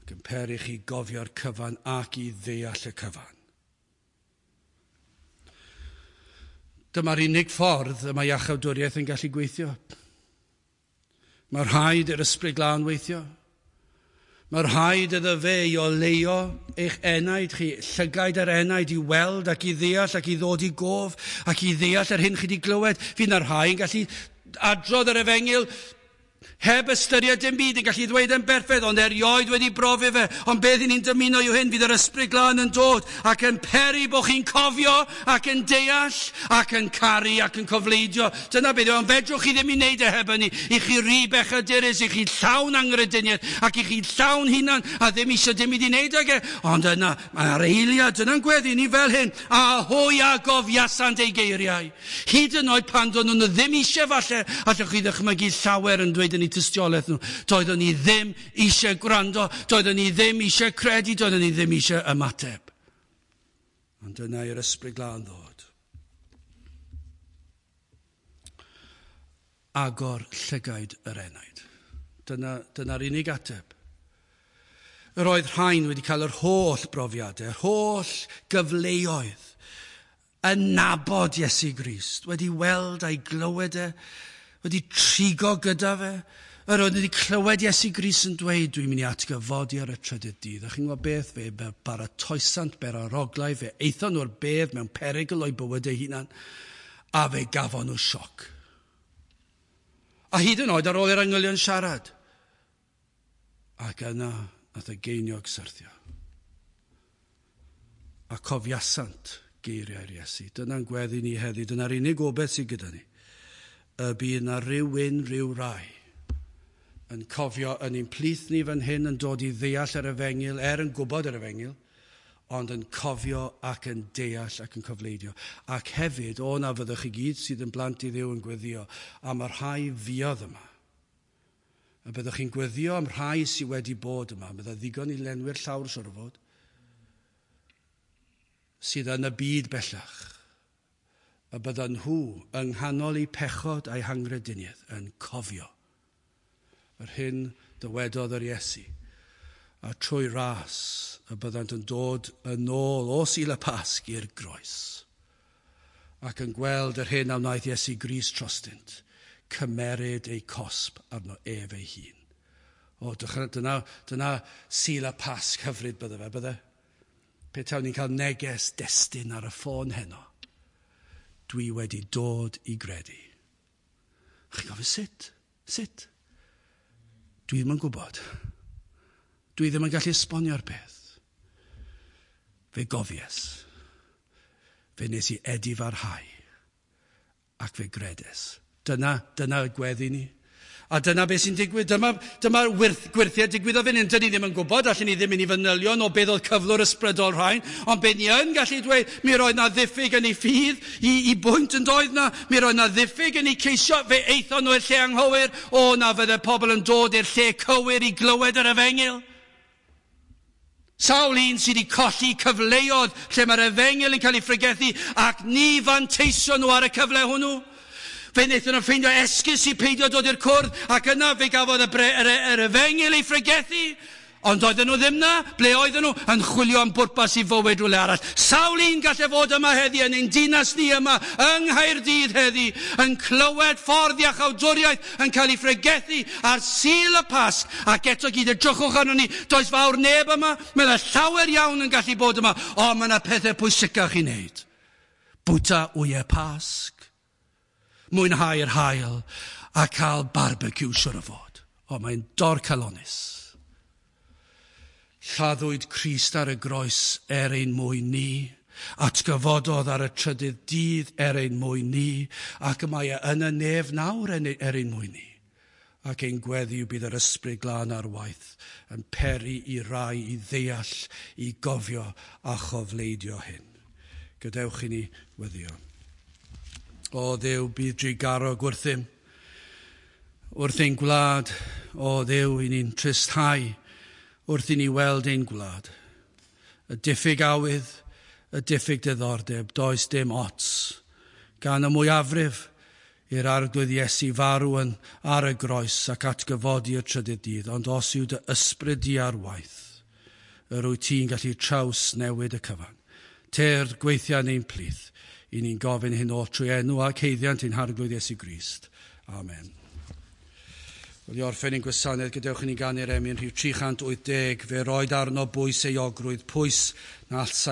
Ac yn peri chi gofio'r cyfan ac i ddeall y cyfan. Dyma'r unig ffordd y mae iachawdwriaeth yn gallu gweithio. Mae rhaid i'r ysbryd glân weithio. Mae rhaid iddo fe i oleuo eich enaid chi, llygaid yr enaid i weld ac i ddeall ac i ddod i gof ac i ddeall yr hyn chi wedi glywed. Fydd na rhai yn gallu adrodd yr efengyl heb ystyried dim byd, yn gallu ddweud yn berffaith, ond erioed wedi brofi fe. Ond beth i ni'n dymuno yw hyn, fydd yr ysbryd glân yn dod ac yn peri bod chi'n cofio ac yn deall ac yn caru ac yn cofleidio. Dyna beth yw, ond fedrwch chi ddim i wneud e heb hynny. I chi ry bechadurus, i chi llawn angrediniaeth ac i chi llawn hunan a ddim eisiau dim i wneud ag e. Ond yna, mae'r eiliad yna'n gweddi ni fel hyn, a hwy a gofiasant eu geiriau. Hyd yn oed pan do'n nhw ddim eisiau falle, allwch chi ddychmygu llawer yn dweud yn eu tystiolaeth nhw. Doeddwn ni ddim eisiau gwrando, doeddwn ni ddim eisiau credu, doeddwn ni ddim eisiau ymateb. Ond dyna i'r ysbryd glân ddod. Agor llygaid yr enaid. Dyna'r unig ateb. Yr oedd rhain wedi cael yr holl brofiadau, yr holl gyfleoedd, yn nabod Iesu Grist, wedi weld a'i glywed e, wedi trigo gyda fe. Yr oedd wedi clywed Iesu Grist yn dweud, dwi'n mynd i atgyfodi ar y trydydd dydd. A chi'n gwybod beth? Fe baratoesant beraroglau, fe aethon nhw'r bedd mewn perygl o'i bywydau hunan, a fe gafon nhw sioc. A hyd yn oed ar ôl i'r angylion siarad. Ac yna, nath y geiniog syrthio. A cofiasant geiriau'r Iesu. Dyna'n gweddi ni heddi, dyna'r unig obaith sydd gyda ni. Y bydd na rhywun, rhyw rai, yn cofio yn ein plith ni fan hyn yn dod i ddeall yr efengyl, er yn gwybod yr efengyl, ond yn cofio ac yn deall ac yn cofleidio. Ac hefyd, o na fyddwch chi gyd sydd yn blant i Dduw yn gweddio am y rhai fuodd yma. A byddwch chi'n gweddio am rhai sydd wedi bod yma, bydda ddigon i lenwi'r llawr siŵr o fod, sydd yn y byd bellach. A byddan nhw yng nghanol eu pechod a'u hangrediniaeth yn cofio yr hyn dywedodd yr Iesu, a trwy ras y byddant yn dod yn ôl o Sul y Pasg i'r groes, ac yn gweld yr hyn a wnaeth Iesu Grist trostynt, cymeryd eu cosb arno ef ei hun. O, dyna Sul y Pasg hyfryd bydde fe, bydde? Pe tawn ni'n cael neges destun ar y ffôn heno, dwi wedi dod i gredu. Chi'n gofyn sut? Sut? Dwi ddim yn gwybod. Dwi ddim yn gallu esbonio'r peth. Fe gofies. Fe nes i edifarhau. Ac fe gredes Dyna y gweddi ni. A dyna beth sy'n digwydd. Dyma'r gwyrthiau digwyddodd fan hyn. Dyn ni ddim yn gwybod, allan ni ddim yn ei fanylion o beth oedd cyflwr ysbrydol rhain, ond beth ni yn gallu dweud, mi roedd na ddiffyg yn ei ffydd i bwynt yn doedd na, mi roedd na ddiffyg yn ei ceisio, fe aethon nhw i'r lle anghywir, o na fydde pobl yn dod i'r lle cywir i glywed yr efengyl. Sawl un sydd wedi colli cyfleoedd lle mae'r efengyl yn cael ei phregethu ac ni fanteisio nhw ar y cyfle hwnnw. Fe wnaethon nhw ffeindio esgus i peidio dod i'r cwrdd, ac yna fe gafodd yr efengyl ei phregethu. Ond oedden nhw ddim na. Ble oedden nhw? Yn chwilio am bwrpas i fywyd rhywle arall. Sawl un gallai fod yma heddi, yn ein dinas ni yma, yng Nghaerdydd heddi, yn clywed ffordd iachawdwriaeth yn cael ei phregethu ar Sul y Pasg, ac eto gyd edrychwch arno ni, does fawr neb yma, mae yna llawer iawn yn gallu bod yma, ond mae yna pethau pwysicach i wneud. Bwyta wyau Pasg, mwynhau'r haul a cael barbecue siwr o fod. O, mae'n dorcalonnus. Lladdwyd Crist ar y groes er ein mwyn ni, atgyfododd ar y trydydd dydd er ein mwyn ni, ac y mae e yn y nef nawr er ein mwyn ni. Ac ein gweddi yw bydd yr ysbryd glân ar waith yn peri i rai i ddeall, i gofio a chofleidio hyn. Gadewch i ni weddio. O Dduw, bydd drugarog wrthym, wrth ein gwlad, o Dduw, i ni'n tristhau wrth i ni weld ein gwlad. Y diffyg awydd, y diffyg diddordeb, does dim ots. Gan y mwyafrif i'r Arglwydd Iesu farw yn ar y groes ac atgyfodi y trydydd dydd, ond os yw dy ysbryd di ar waith, yr wyt ti'n gallu traws newid y cyfan. Tyrd gweithia yn ein plith, i ni'n gofyn hyn oll trwy enw ac haeddiant ein Harglwydd Iesu Grist. Amen. Wel, i orffen ein gwasanaeth, gadewch i ni ganu'r emyn rhif 380, fe roed arno bwys euogrwydd, pwys na allsai